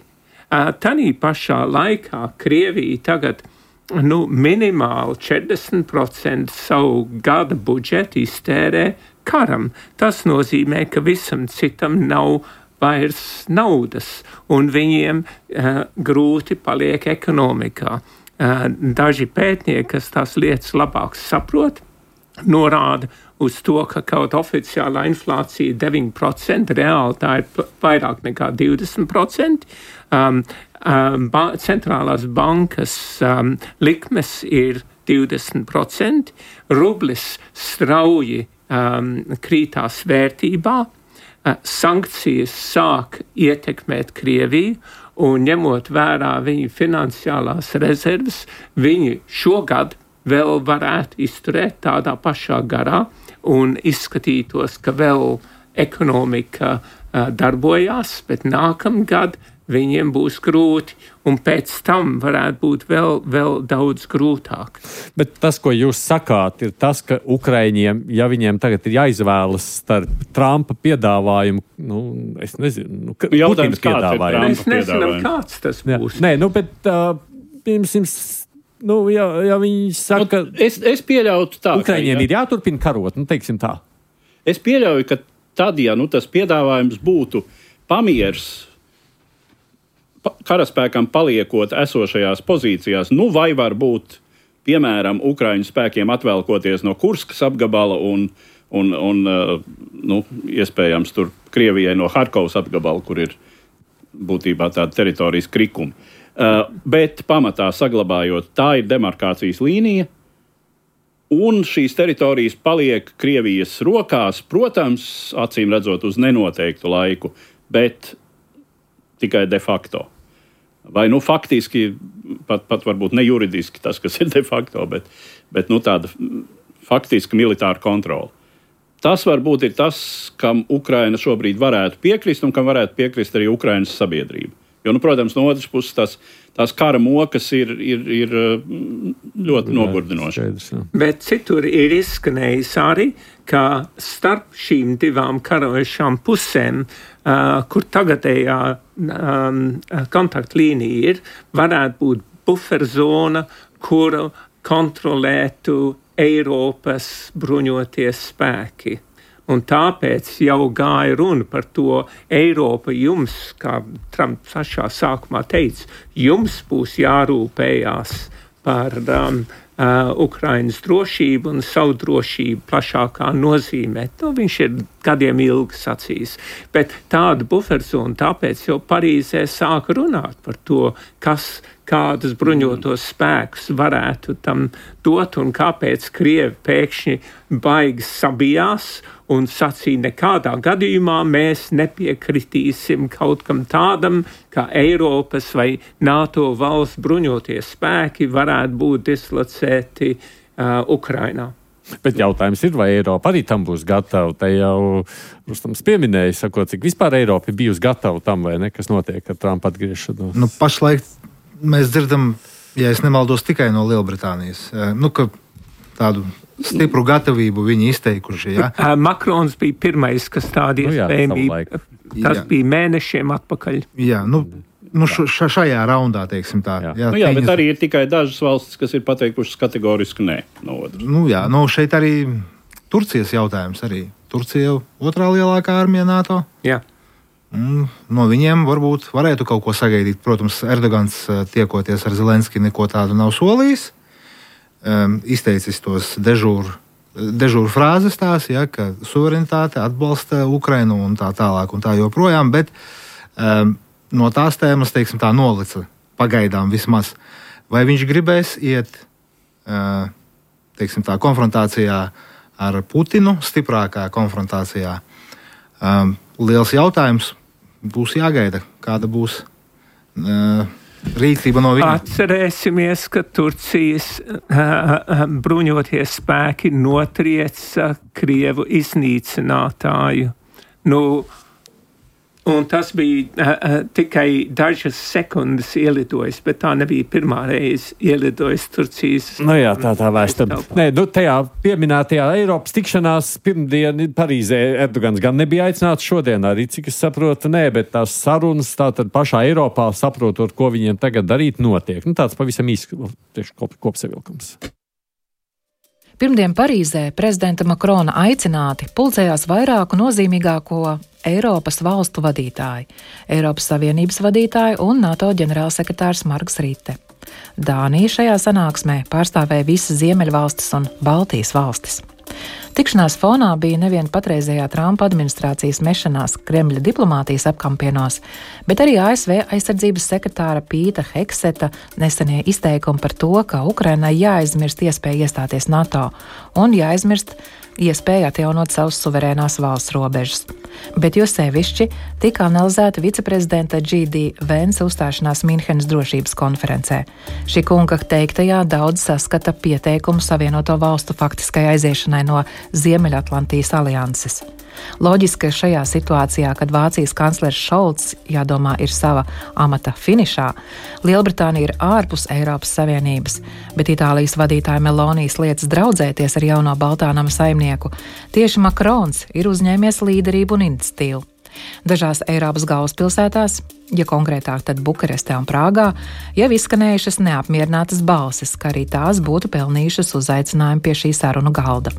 Uh, tanī pašā laikā Krievija tagad nu, minimāli četrdesmit procenti savu gada budžetu iztērē karam. Tas nozīmē, ka visam citam nav vairs naudas, un viņiem uh, grūti paliek ekonomikā. Uh, daži pētnieki, kas tās lietas labāk saprot, norāda uz to, ka kaut oficiālā inflācija deviņi procenti, reāli tā ir vairāk nekā divdesmit procenti. Um, um, ba- centrālās bankas um, likmes ir divdesmit procenti, rublis strauji um, krītās vērtībā, uh, sankcijas sāk ietekmēt Krieviju, un ņemot vērā viņu finansiālās rezerves, viņi šogad vēl varētu izturēt tādā pašā garā un izskatītos, ka vēl ekonomika uh, darbojās, bet nākamgad viņiem būs grūti, un pēc tam varētu būt vēl, vēl daudz grūtāk. Bet tas, ko jūs sakāt, ir tas, ka Ukraiņiem, ja viņiem tagad ir jāizvēlas starp Trumpa piedāvājumu, nu, es nezinu, nu, Jautājums, piedāvājumu. Mēs nezinām, kāds tas būs. Jā. Nē, nu, bet, uh, pirms, nu, ja, ja viņi saka, nu, es, es pieļautu tā, Ukraiņiem ka, ja, ir jāturpina karot, nu, teiksim tā. Es pieļauju, ka tad, ja nu, tas piedāvājums būtu pamiers, karaspēkam paliekot esošajās pozīcijās, nu vai varbūt, piemēram, Ukraiņu spēkiem atvelkoties no Kurskas apgabala un, un, un nu, iespējams tur Krievijai no Harkovas apgabala, kur ir būtībā tāda teritorijas krikuma. Uh, bet pamatā saglabājot, tā ir demarkācijas līnija, un šīs teritorijas paliek Krievijas rokās, protams, acīm redzot uz nenoteiktu laiku, bet tikai de facto. Vai nu faktiski, pat, pat varbūt ne juridiski tas, kas ir de facto, bet, bet nu, tāda faktiska militāra kontrola. Tas varbūt ir tas, kam Ukraina šobrīd varētu piekrist un kam varētu piekrist arī Ukrainas sabiedrība. Jo, nu, protams, no otras puses tās, tās kara mokas ir, ir, ir ļoti nogurdinošas. Bet citur ir izskanējis arī, ka starp šīm divām karojošām pusēm, uh, kur tagadējā um, kontaktlīnija ir, varētu būt buferzona, kuru kontrolētu Eiropas bruņoties spēki. Un tāpēc jau gāja runa par to, Eiropa jums, kā Trumps pašā sākumā teica, jums būs jārūpējās par um, uh, Ukrainas drošību un savu drošību plašākā nozīmē. To viņš ir gadiem ilgi sacījis. Bet tāda buferzona, tāpēc jau Parīzē sāka runāt par to, kas kādus bruņotos spēkus varētu tam dot un kāpēc Krievi pēkšņi baigi sabijās un sacīja, nekādā gadījumā mēs nepiekritīsim kaut kam tādam, kā Eiropas vai NATO valsts bruņoties spēki varētu būt dislocēti uh, Ukrainā. Bet jautājums ir, vai Eiropa arī tam būs gatava? Te jau Rustams pieminēja, sakot, cik vispār Eiropa ir bijusi gatava tam, vai ne, kas notiek ar Trumpa atgriešanos? Nu, pašlaik mēs dzirdam, ja es nemaldos, tikai no Lielbritānijas, nu, ka tādu stipru gatavību viņi izteikuši. Ja? Makrons bija pirmais, kas tādi nu, jā, iespējami, tas jā. bija mēnešiem atpakaļ. Jā, nu, nu š, šajā raundā, teiksim tā. Jā, jā, nu, jā bet arī ir tikai dažas valstis, kas ir pateikušas kategoriski nē. No nu, jā, nu, šeit arī Turcijas jautājums arī. Turcija jau otrā lielākā armija NATO. Jā. No viņiem varbūt varētu kaut ko sagaidīt. Protams, Erdogans tiekoties ar Zelenski neko tādu nav solījis. Um, izteicis tos dežūru, dežūru frāzes tās, ja, ka suverenitāte atbalsta Ukrainu un tā tālāk un tā joprojām, bet um, no tās tēmas, teiksim tā, nolica pagaidām vismaz. Vai viņš gribēs iet, uh, teiksim tā, konfrontācijā ar Putinu, stiprākā konfrontācijā? Um, liels jautājums. Būs jāgaida, kāda būs uh, rīcība no viņa. Atcerēsimies, ka Turcijas uh, bruņoties spēki notrieca Krievu iznīcinātāju. Nu, un tas bija uh, tikai dažas sekundes ielidojis, bet tā nebija pirmā reize ielidojis Turcijas. Nu jā, tā tā vēstam. Nē, nu tajā pieminētajā Eiropas tikšanās pirmdien Parīzē Erdogans gan nebija aicināts šodien arī, cik es saprotu, nē, bet tās sarunas tātad pašā Eiropā saprotot, ko viņiem tagad darīt, notiek. Nu tāds pavisam īsts tieši kop, kopsavilkums. Pirmdien Parīzē prezidenta Makrona aicināti pulcējās vairāku nozīmīgāko Eiropas valstu vadītāji, Eiropas Savienības vadītāji un NATO ģenerālsekretārs Marks Rite. Dānija šajā sanāksmē pārstāvēja visas Ziemeļvalstis un Baltijas valstis. Tikšanās fonā bija nevien patreizējā Trumpa administrācijas mešanās Kremļa diplomātijas apkampienos, bet arī A S V aizsardzības sekretāra Pīta Hekseta nesenie izteikumi par to, ka Ukrainai jāaizmirst iespēja iestāties NATO un jāaizmirst iespēja atjaunot savus suverēnās valsts robežas. Bet jo sevišķi tika analizēta viceprezidenta G D Vence uzstāšanās Minhenes drošības konferencē. Šī kunga teiktajā daudz saskata pieteikumu Savienoto valstu faktiskai aiziešanai no Ziemeļatlantijas alianses. Loģiski, ka šajā situācijā, kad Vācijas kanclers Šolts, jādomā, ir sava amata finišā, Lielbritānija ir ārpus Eiropas Savienības, bet Itālijas vadītāja Melonijas lietas draudzēties ar jauno Baltānama saimnieku, tieši Makrons ir uzņēmies līderību un iniciatīvu. Dažās Eiropas galvaspilsētās, ja konkrētāk tad Bukarestē un Prāgā, jau izskanējušas neapmierinātas balsis, ka arī tās būtu pelnījušas uzaicinājumu pie šī sarunu galda.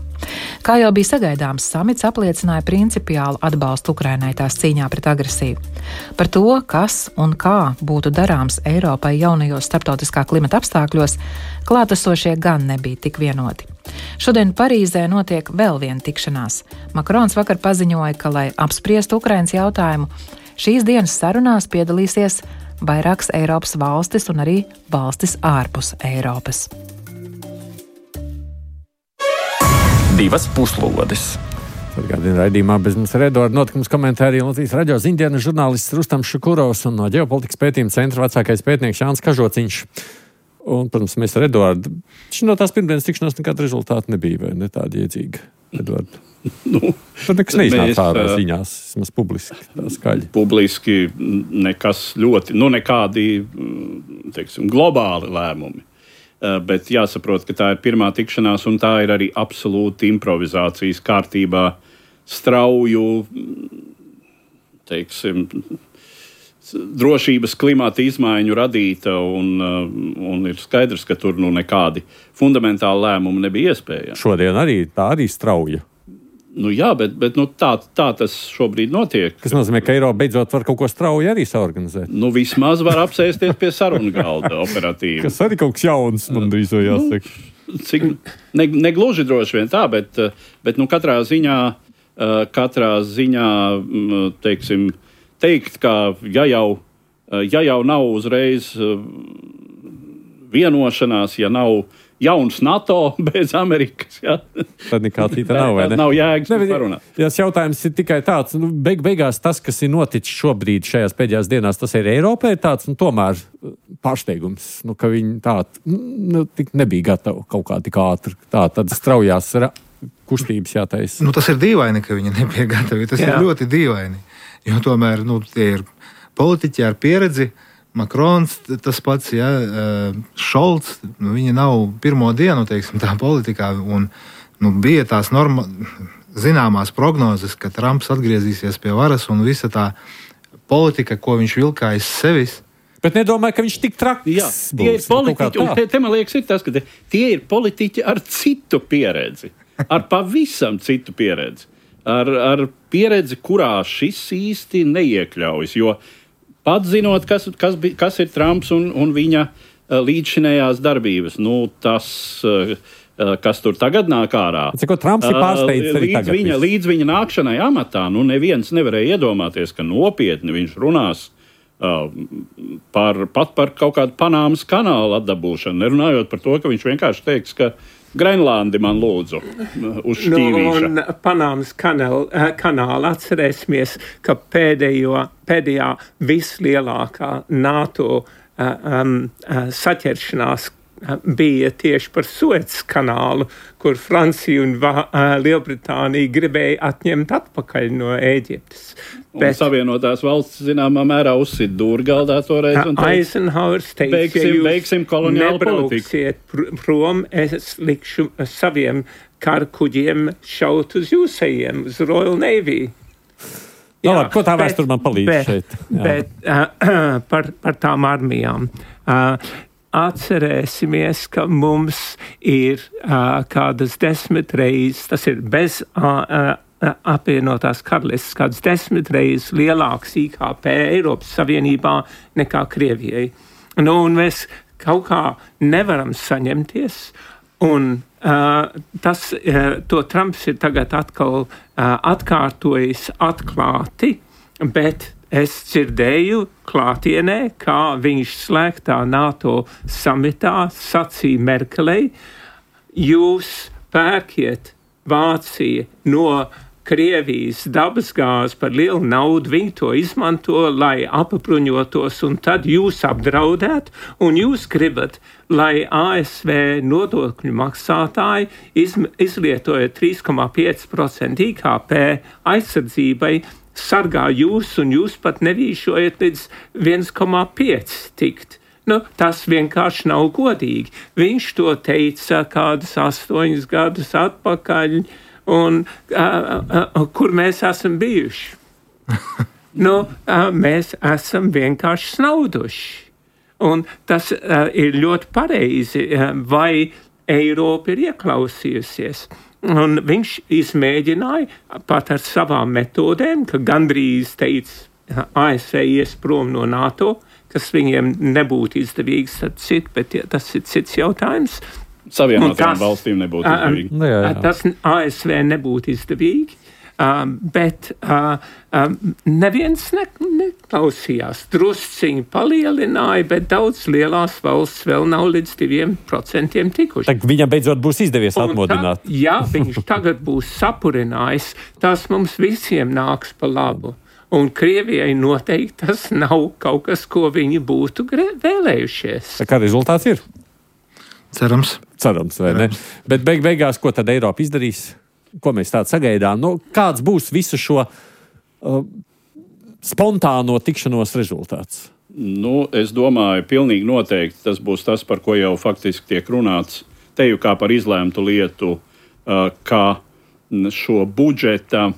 Kā jau bija sagaidāms, samits apliecināja principiālu atbalstu Ukrainai tās cīņā pret agresiju. Par to, kas un kā būtu darāms Eiropai jaunajos starptautiskā klimata apstākļos, klātesošie gan nebija tik vienoti. Šodien Parīzē notiek vēl viena tikšanās. Makrons vakar paziņoja, ka, lai apspriestu Ukrainas jautājumu, šīs dienas sarunās piedalīsies vairākas Eiropas valstis un arī valstis ārpus Eiropas. Divas puslodes. Atgādina raidījumā bez mums ar Eduardu notikums komentāriju Latvijas radio ziņdienas žurnālists Rustams Šukurovs un no ģeopolitikas pētījuma centra vecākais pētnieks Jānis Kažociņš. Un, protams, mēs ar Eduardu. No tās pirmdienas tikšanās nekāda rezultāta nebija, vai ne tāda iedzīga, Eduardu? Nu, Tur nekas neiznāca ārā ziņās, vismaz publiski, tā skaļi. Publiski nekas ļoti, nu nekādi, teiksim, globāli lēmumi. Bet jāsaprot, ka tā ir pirmā tikšanās un tā ir arī absolūti improvizācijas kārtībā strauju, teiksim, drošības klimata izmaiņu radīta un, un ir skaidrs, ka tur nu nekādi fundamentāli lēmumi nebija iespējami. Šodien arī tā arī strauja. Nu jā, bet, bet nu tā, tā tas šobrīd notiek. Kas nozīmē, ka Eiropa beidzot var kaut ko strauji arī saorganizēt? Nu vismaz var apsēsties pie sarunu galda operatīvi. Kas arī kaut kas jauns, man drīz jau jāsaka. Nu, cik, ne, ne gluži droši vien tā, bet, bet nu katrā ziņā, katrā ziņā, teiksim, teikt, ka ja jau, ja jau nav uzreiz vienošanās, ja nav jauns NATO bez Amerikas, ja? Tad nekā cita nav, vai ne? Nav jēgas parunāt. Tas jautājums ir tikai tāds, nu, beig, beigās tas, kas ir noticis šobrīd šajās pēdējās dienās, tas ir Eiropai tāds, un tomēr pārsteigums, nu, ka viņi tā, nu, tik nebija gatavi kaut kā tik ātri, tā, tad straujās kustības jātaisa. Nu, tas ir dīvaini, ka viņi nebija gatavi, tas Jā. ir ļoti dīvaini. Jo tomēr nu, tie ir politiķi ar pieredzi, Makrons tas pats, ja, Šolts, nu, viņi nav pirmo dienu, teiksim, tā politikā, un nu, bija tās norma, zināmās prognozes, ka Trumps atgriezīsies pie varas, un visa tā politika, ko viņš vilkā aiz sevis. Bet nedomāju, ka viņš tik traks. Jā, tie ir politiķi, un te, te man liekas ir tas, ka te, tie ir politiķi ar citu pieredzi, ar pavisam citu pieredzi. Ar, ar pieredzi, kurā šis īsti neiekļaujas. Jo pat zinot, kas, kas, kas ir Trumps un, un viņa līdzšinējās darbības, nu, tas, kas tur tagad nāk ārā. Cik, Trumps ir pārsteidz arī līdz tagad. Viņa, līdz viņa nākšanai amatā, nu, neviens nevarēja iedomāties, ka nopietni viņš runās uh, par, pat par kaut kādu Panāmas kanālu atdabūšanu, nerunājot par to, ka viņš vienkārši teiks, ka Grenlandi man lūdzu uz šķīvīša. Nu, un Panāmas kanāla, kanāla atcerēsimies, ka pēdējo, pēdējā vislielākā NATO um, saķeršanās bija tieši par Suecas kanālu, kur Francija un Va- Lielbritānija gribēja atņemt atpakaļ no Ēģiptes. Un Bet, Savienotās valsts zināmā mērā uzsit dūrgaldā toreiz. Eisenhowers teica, beigsim, ja jūs beigsim koloniālu nebrauksiet pr- prom, es likšu saviem karkuģiem šaut uz jūsējiem, uz Royal Navy. Jā, labi, ko tā vēsture man palīdz bet, šeit? Jā. Bet uh, par, par tām armijām. Uh, Atcerēsimies, ka mums ir uh, kādas desmit reizes, tas ir bez uh, uh, apvienotās karalistes kāds desmit reizes lielāks I K P Eiropas Savienībā nekā Krievijai. Nu, un mēs kaut kā nevaram saņemties, un uh, tas, uh, to Trumps ir tagad atkal uh, atkārtojis atklāti, bet es dzirdēju klātienē, kā viņš slēgtā NATO samitā sacīja Merkelei, jūs pērkiet Vācija no Krievijas dabasgāzi par lielu naudu, viņi to izmanto, lai apbruņotos, un tad jūs apdraudēt, un jūs gribat, lai A S V nodokļu maksātāji iz, izlietojot trīs komā pieci procenti I K P aizsardzībai, sargā jūs, un jūs pat nevīšojat līdz viens komā pieci tikt. Nu, tas vienkārši nav godīgi. Viņš to teica kādus astoņus gadus atpakaļ, un uh, uh, kur mēs esam bijuši? nu, uh, mēs esam vienkārši snauduši. Un tas uh, ir ļoti pareizi, uh, vai Eiropa ir ieklausījusies. Un viņš izmēģināja pat ar savām metodēm, ka gandrīz teica A S V ies prom no NATO, kas viņiem nebūtu izdevīgs, cit, bet tas ir cits jautājums. Savienotajām valstīm nebūtu izdevīgi. Um, jā, jā. Tas A S V nebūtu izdevīgi, um, bet uh, um, neviens ne, neklausījās. Drusciņi palielināja, bet daudz lielās valsts vēl nav līdz diviem procentiem tikuši. Tā viņam beidzot būs izdevies un atmodināt. Tā, ja viņš tagad būs sapurinājis, tas mums visiem nāks pa labu. Un Krievijai noteikti tas nav kaut kas, ko viņi būtu vēlējušies. Tā kā rezultāts ir? Cerams. Cerams, vai Cerams. Ne? Bet beig beigās, ko tad Eiropa izdarīs? Ko mēs tādu sagaidām? Nu, kāds būs visu šo uh, spontāno tikšanos rezultāts? Nu, es domāju, pilnīgi noteikti tas būs tas, par ko jau faktiski tiek runāts. Te jau kā par izlēmtu lietu, uh, kā šo budžeta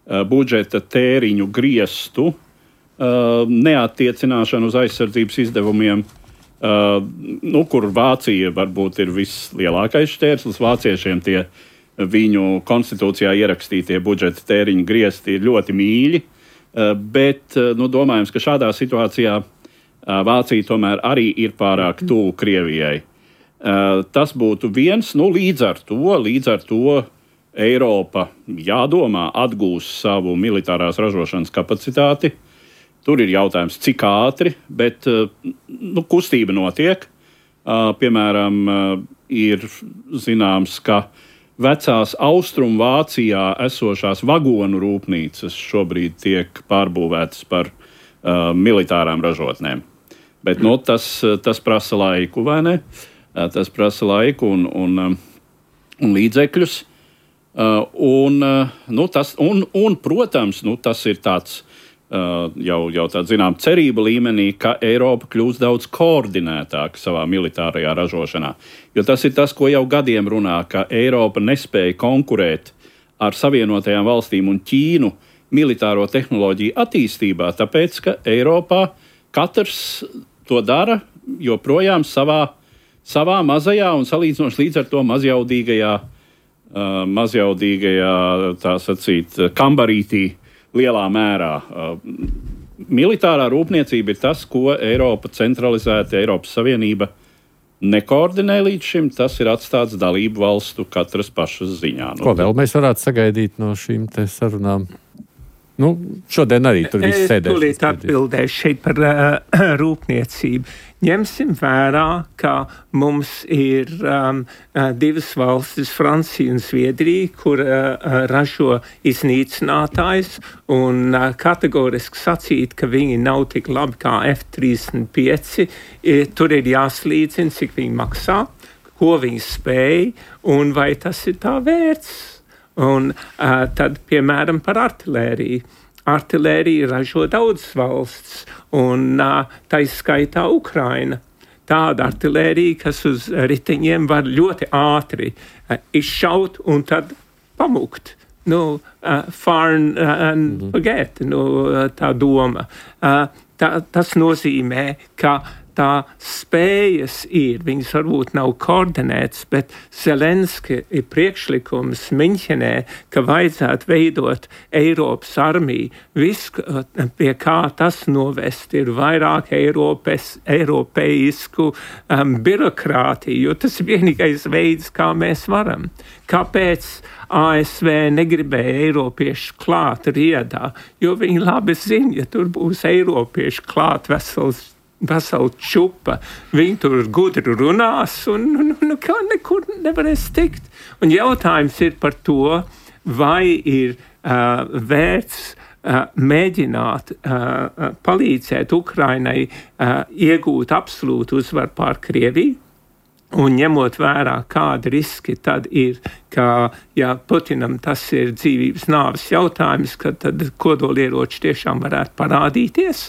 budžeta tēriņu griestu, uh, neattiecināšanu uz aizsardzības izdevumiem, uh, nu, kur Vācija varbūt ir vislielākais šķērslis. Vāciešiem tie viņu konstitūcijā ierakstītie budžeta tēriņu griesti ir ļoti mīļi, uh, bet uh, nu, domājams, ka šādā situācijā uh, Vācija tomēr arī ir pārāk tuvu Krievijai. Uh, tas būtu viens, nu, līdz ar to, līdz ar to Eiropa, jādomā, atgūs savu militārās ražošanas kapacitāti. Tur ir jautājums, cik ātri, bet nu, kustība notiek. Piemēram, ir zināms, ka vecās Austrumvācijā esošās vagonu rūpnīcas šobrīd tiek pārbūvētas par uh, militārām ražotnēm. Bet nu, tas, tas prasa laiku, vai ne? Tas prasa laiku un, un, un līdzekļus. Uh, un, uh, nu, tas, un, un, protams, nu, tas ir tāds, uh, jau, jau tāds, zinām, cerība līmenī, ka Eiropa kļūs daudz koordinētāka savā militārajā ražošanā. Jo tas ir tas, ko jau gadiem runā, ka Eiropa nespēja konkurēt ar Savienotajām valstīm un Ķīnu militāro tehnoloģiju attīstībā, tāpēc, ka Eiropā katrs to dara joprojām savā, savā mazajā un salīdzinoši līdz ar to mazjaudīgajā Uh, mazjaudīgajā, tā sacīt, kambarītī lielā mērā. Uh, militārā rūpniecība ir tas, ko Eiropa centralizēta, Eiropas Savienība nekoordinē līdz šim. Tas ir atstāts dalību valstu katras pašas ziņā. Ko vēl mēs varētu sagaidīt no šīm te sarunām? Nu, šodien arī tur viss sēdēs. Es tūlīt atbildēšu šeit par uh, rūpniecību. Ņemsim vērā, ka mums ir um, divas valstis, Francija un Zviedrija, kur uh, ražo iznīcinātājs, un uh, kategoriski sacīt, ka viņi nav tik labi kā F trīsdesmit pieci. Tur ir jāslīdzina, cik viņi maksā, ko viņi spēj, un vai tas ir tā vērts. Un uh, tad, piemēram, par artilēriju. Artilēriju ražo daudzas valsts, un uh, tā izskaitā Ukraina. Tāda artilērija, kas uz riteņiem var ļoti ātri uh, izšaut un tad pamukt. Nu, uh, farn uh, and forget, nu, uh, tā doma. Uh, tā, tas nozīmē, ka tā spējas ir, viņas varbūt nav koordinētas, bet Zelenski ir priekšlikums Miņķenē, ka vajadzētu veidot Eiropas armiju. Viss, pie kā tas novest, ir vairāk Eiropas, eiropeisku um, birokrātiju, jo tas ir vienīgais veids, kā mēs varam. Kāpēc A S V negribēja eiropiešu klāt riedā, jo viņi labi zina, ja tur būs eiropieši klāt vesels, vesela čupa, viņi tur gudri runās un nu, nu, kā nekur nevarēs tikt. Un jautājums ir par to, vai ir uh, vērts uh, mēģināt uh, palīdzēt Ukrainai uh, iegūt absolūtu uzvaru pār Krieviju. Un ņemot vērā, kādi riski tad ir, ka, ja Putinam tas ir dzīvības nāves jautājums, ka tad kodolieroči tiešām varētu parādīties,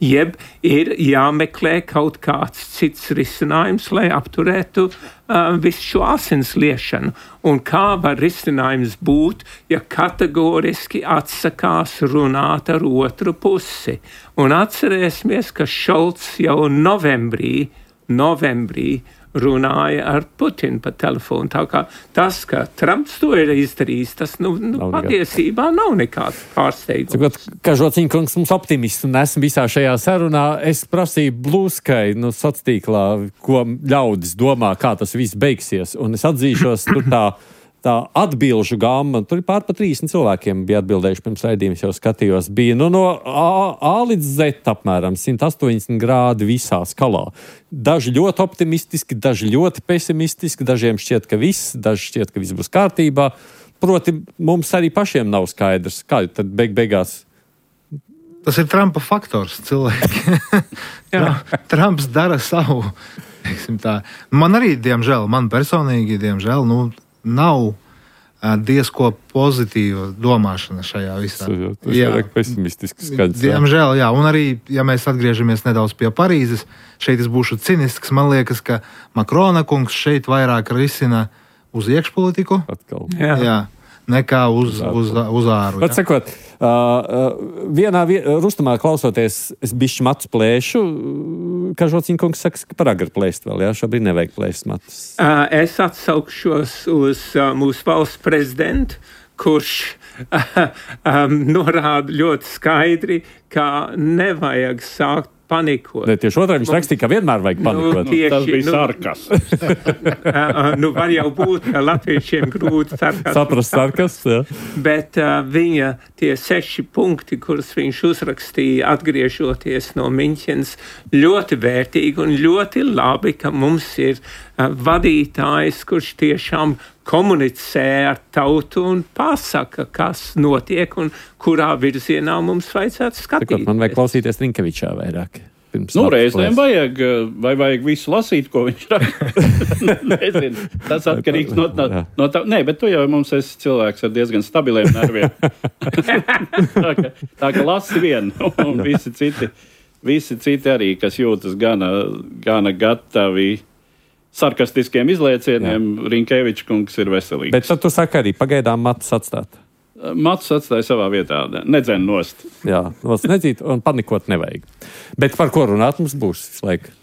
jeb ir jāmeklē kaut kāds cits risinājums, lai apturētu uh, visu šo asins liešanu. Un kā var risinājums būt, ja kategoriski atsakās runāt ar otru pusi? Un atcerēsimies, ka Šolts jau novembrī, novembrī runāja ar Putinu pa telefonu. Tā kā tas, ka Trumps to ir izdarījis, tas nu, nu, nav patiesībā nav nekāds pārsteigums. Cikot, Kažociņa kungs mums optimists un esmu visā šajā sarunā. Es prasīju Blūskai, nu, sociālā, ko ļaudis domā, kā tas viss beigsies. Un es atzīšos, tur tā, tā atbilžu gamma, tur pār pa trīsdesmit cilvēkiem bija atbildējuši pirms raidījums, jau skatījos, bija nu, no A, A līdz Z apmēram simt astoņdesmit grādi visā skalā. Daži ļoti optimistiski, daži ļoti pesimistiski, dažiem šķiet, ka viss, daži šķiet, ka viss būs kārtībā. Proti, mums arī pašiem nav skaidrs, kā tad beig beigās. Tas ir Trumpa faktors, cilvēki. Trumps dara savu, teiksim tā. Man arī, diemžēl, man personīgi, diemžēl, nu, nav diezko pozitīva domāšana šajā visā. Tas ir jā. Pesimistisks skaidrs. Diemžēl, jā. Un arī, ja mēs atgriežamies nedaudz pie Parīzes, šeit es būšu cinisks, man liekas, ka Makrona kungs šeit vairāk risina uz iekšpolitiku. Atkal. Jā. Jā. Nekā uz, uz, uz āru. Pat sakot, uh, uh, vienā vie, rustumā klausoties, es bišķi matu plēšu, Kažociņa kungs saka, ka par agri plēst vēl, jā, šobrīd nevajag plēst matus. Uh, es atsaukšos uz uh, mūsu valsts prezidentu, kurš uh, um, norāda ļoti skaidri, ka nevajag sākt panikot. Ne, tieši otrādi viņš rakstīja, ka vienmēr vajag panikot. Nu, tieši, Tas bija nu, sarkas. nu, var jau būt, ka latviešiem grūti sarkas. Saprast sarkas, jā. Bet uh, viņa tie seši punkti, kurus viņš uzrakstīja, atgriežoties no Miņķenes, ļoti vērtīgi un ļoti labi, ka mums ir uh, vadītājs, kurš tiešām komunicē ar tautu un pasaka, kas notiek un kurā virzienā mums vajadzētu skatīties. Tikot, man vajag klausīties Rinkevičā vairāk. Nu, reizēm vajag, vai vajag visu lasīt, ko viņš raksta. Nezinu, tas atkarīgs no, no, no tā. Nē, bet tu jau mums esi cilvēks ar diezgan stabiliem nerviem. tā, ka, tā ka lasi vienu, un visi citi, visi citi arī, kas jūtas gana, gana gatavi sarkastiskiem izliecieniem, Rinkevičs kungs ir veselīgs. Bet tad tu saki arī pagaidām matus atstāt. Matus atstāja savā vietā, nedzen nost. Jā, nost nedzīt un panikot nevajag. Bet par ko runāt mums būs visu laiku?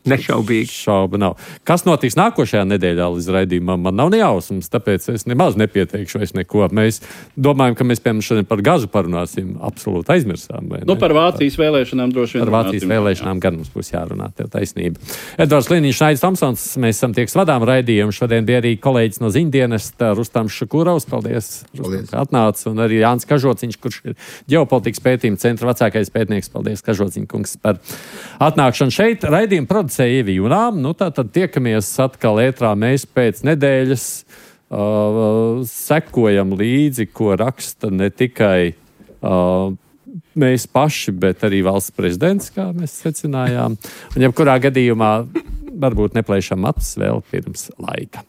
Nešaubīgi. Šauba nav. Kas notiks nākošajā nedēļā līdz raidījumam, man nav ne jausmas, tāpēc es nemaz nepieteikšu vairs neko. Mēs domājam, ka mēs, piemēram, šodien par gazu parunāsim, absolūti aizmirsām. Nu, par Vācijas vēlēšanām droši vien. Par Vācijas vēlēšanām gan mums būs jārunā, tev taisnība. Edvards Liniņš, Aidis Tomsons, mēs esam tieks vadām raidījumu. Šodien bija arī kolēģis no ziņdienesta Rustams Šakurovs. Paldies, Rustam, ka atnāc. Un arī Jānis Kažociņš, kurš ir ģeopolitikas pētījuma centra vecākais pētnieks. Paldies, Kažociņ kungs, par atnākšanu šeit. Raidījumu producēja Ievi Junām. Nu, tā tad tiekamies atkal ētrā mēs pēc nedēļas. Uh, sekojam līdzi, ko raksta ne tikai uh, mēs paši, bet arī valsts prezidents, kā mēs secinājām. Un jebkurā gadījumā varbūt neplēšam matus vēl pirms laika.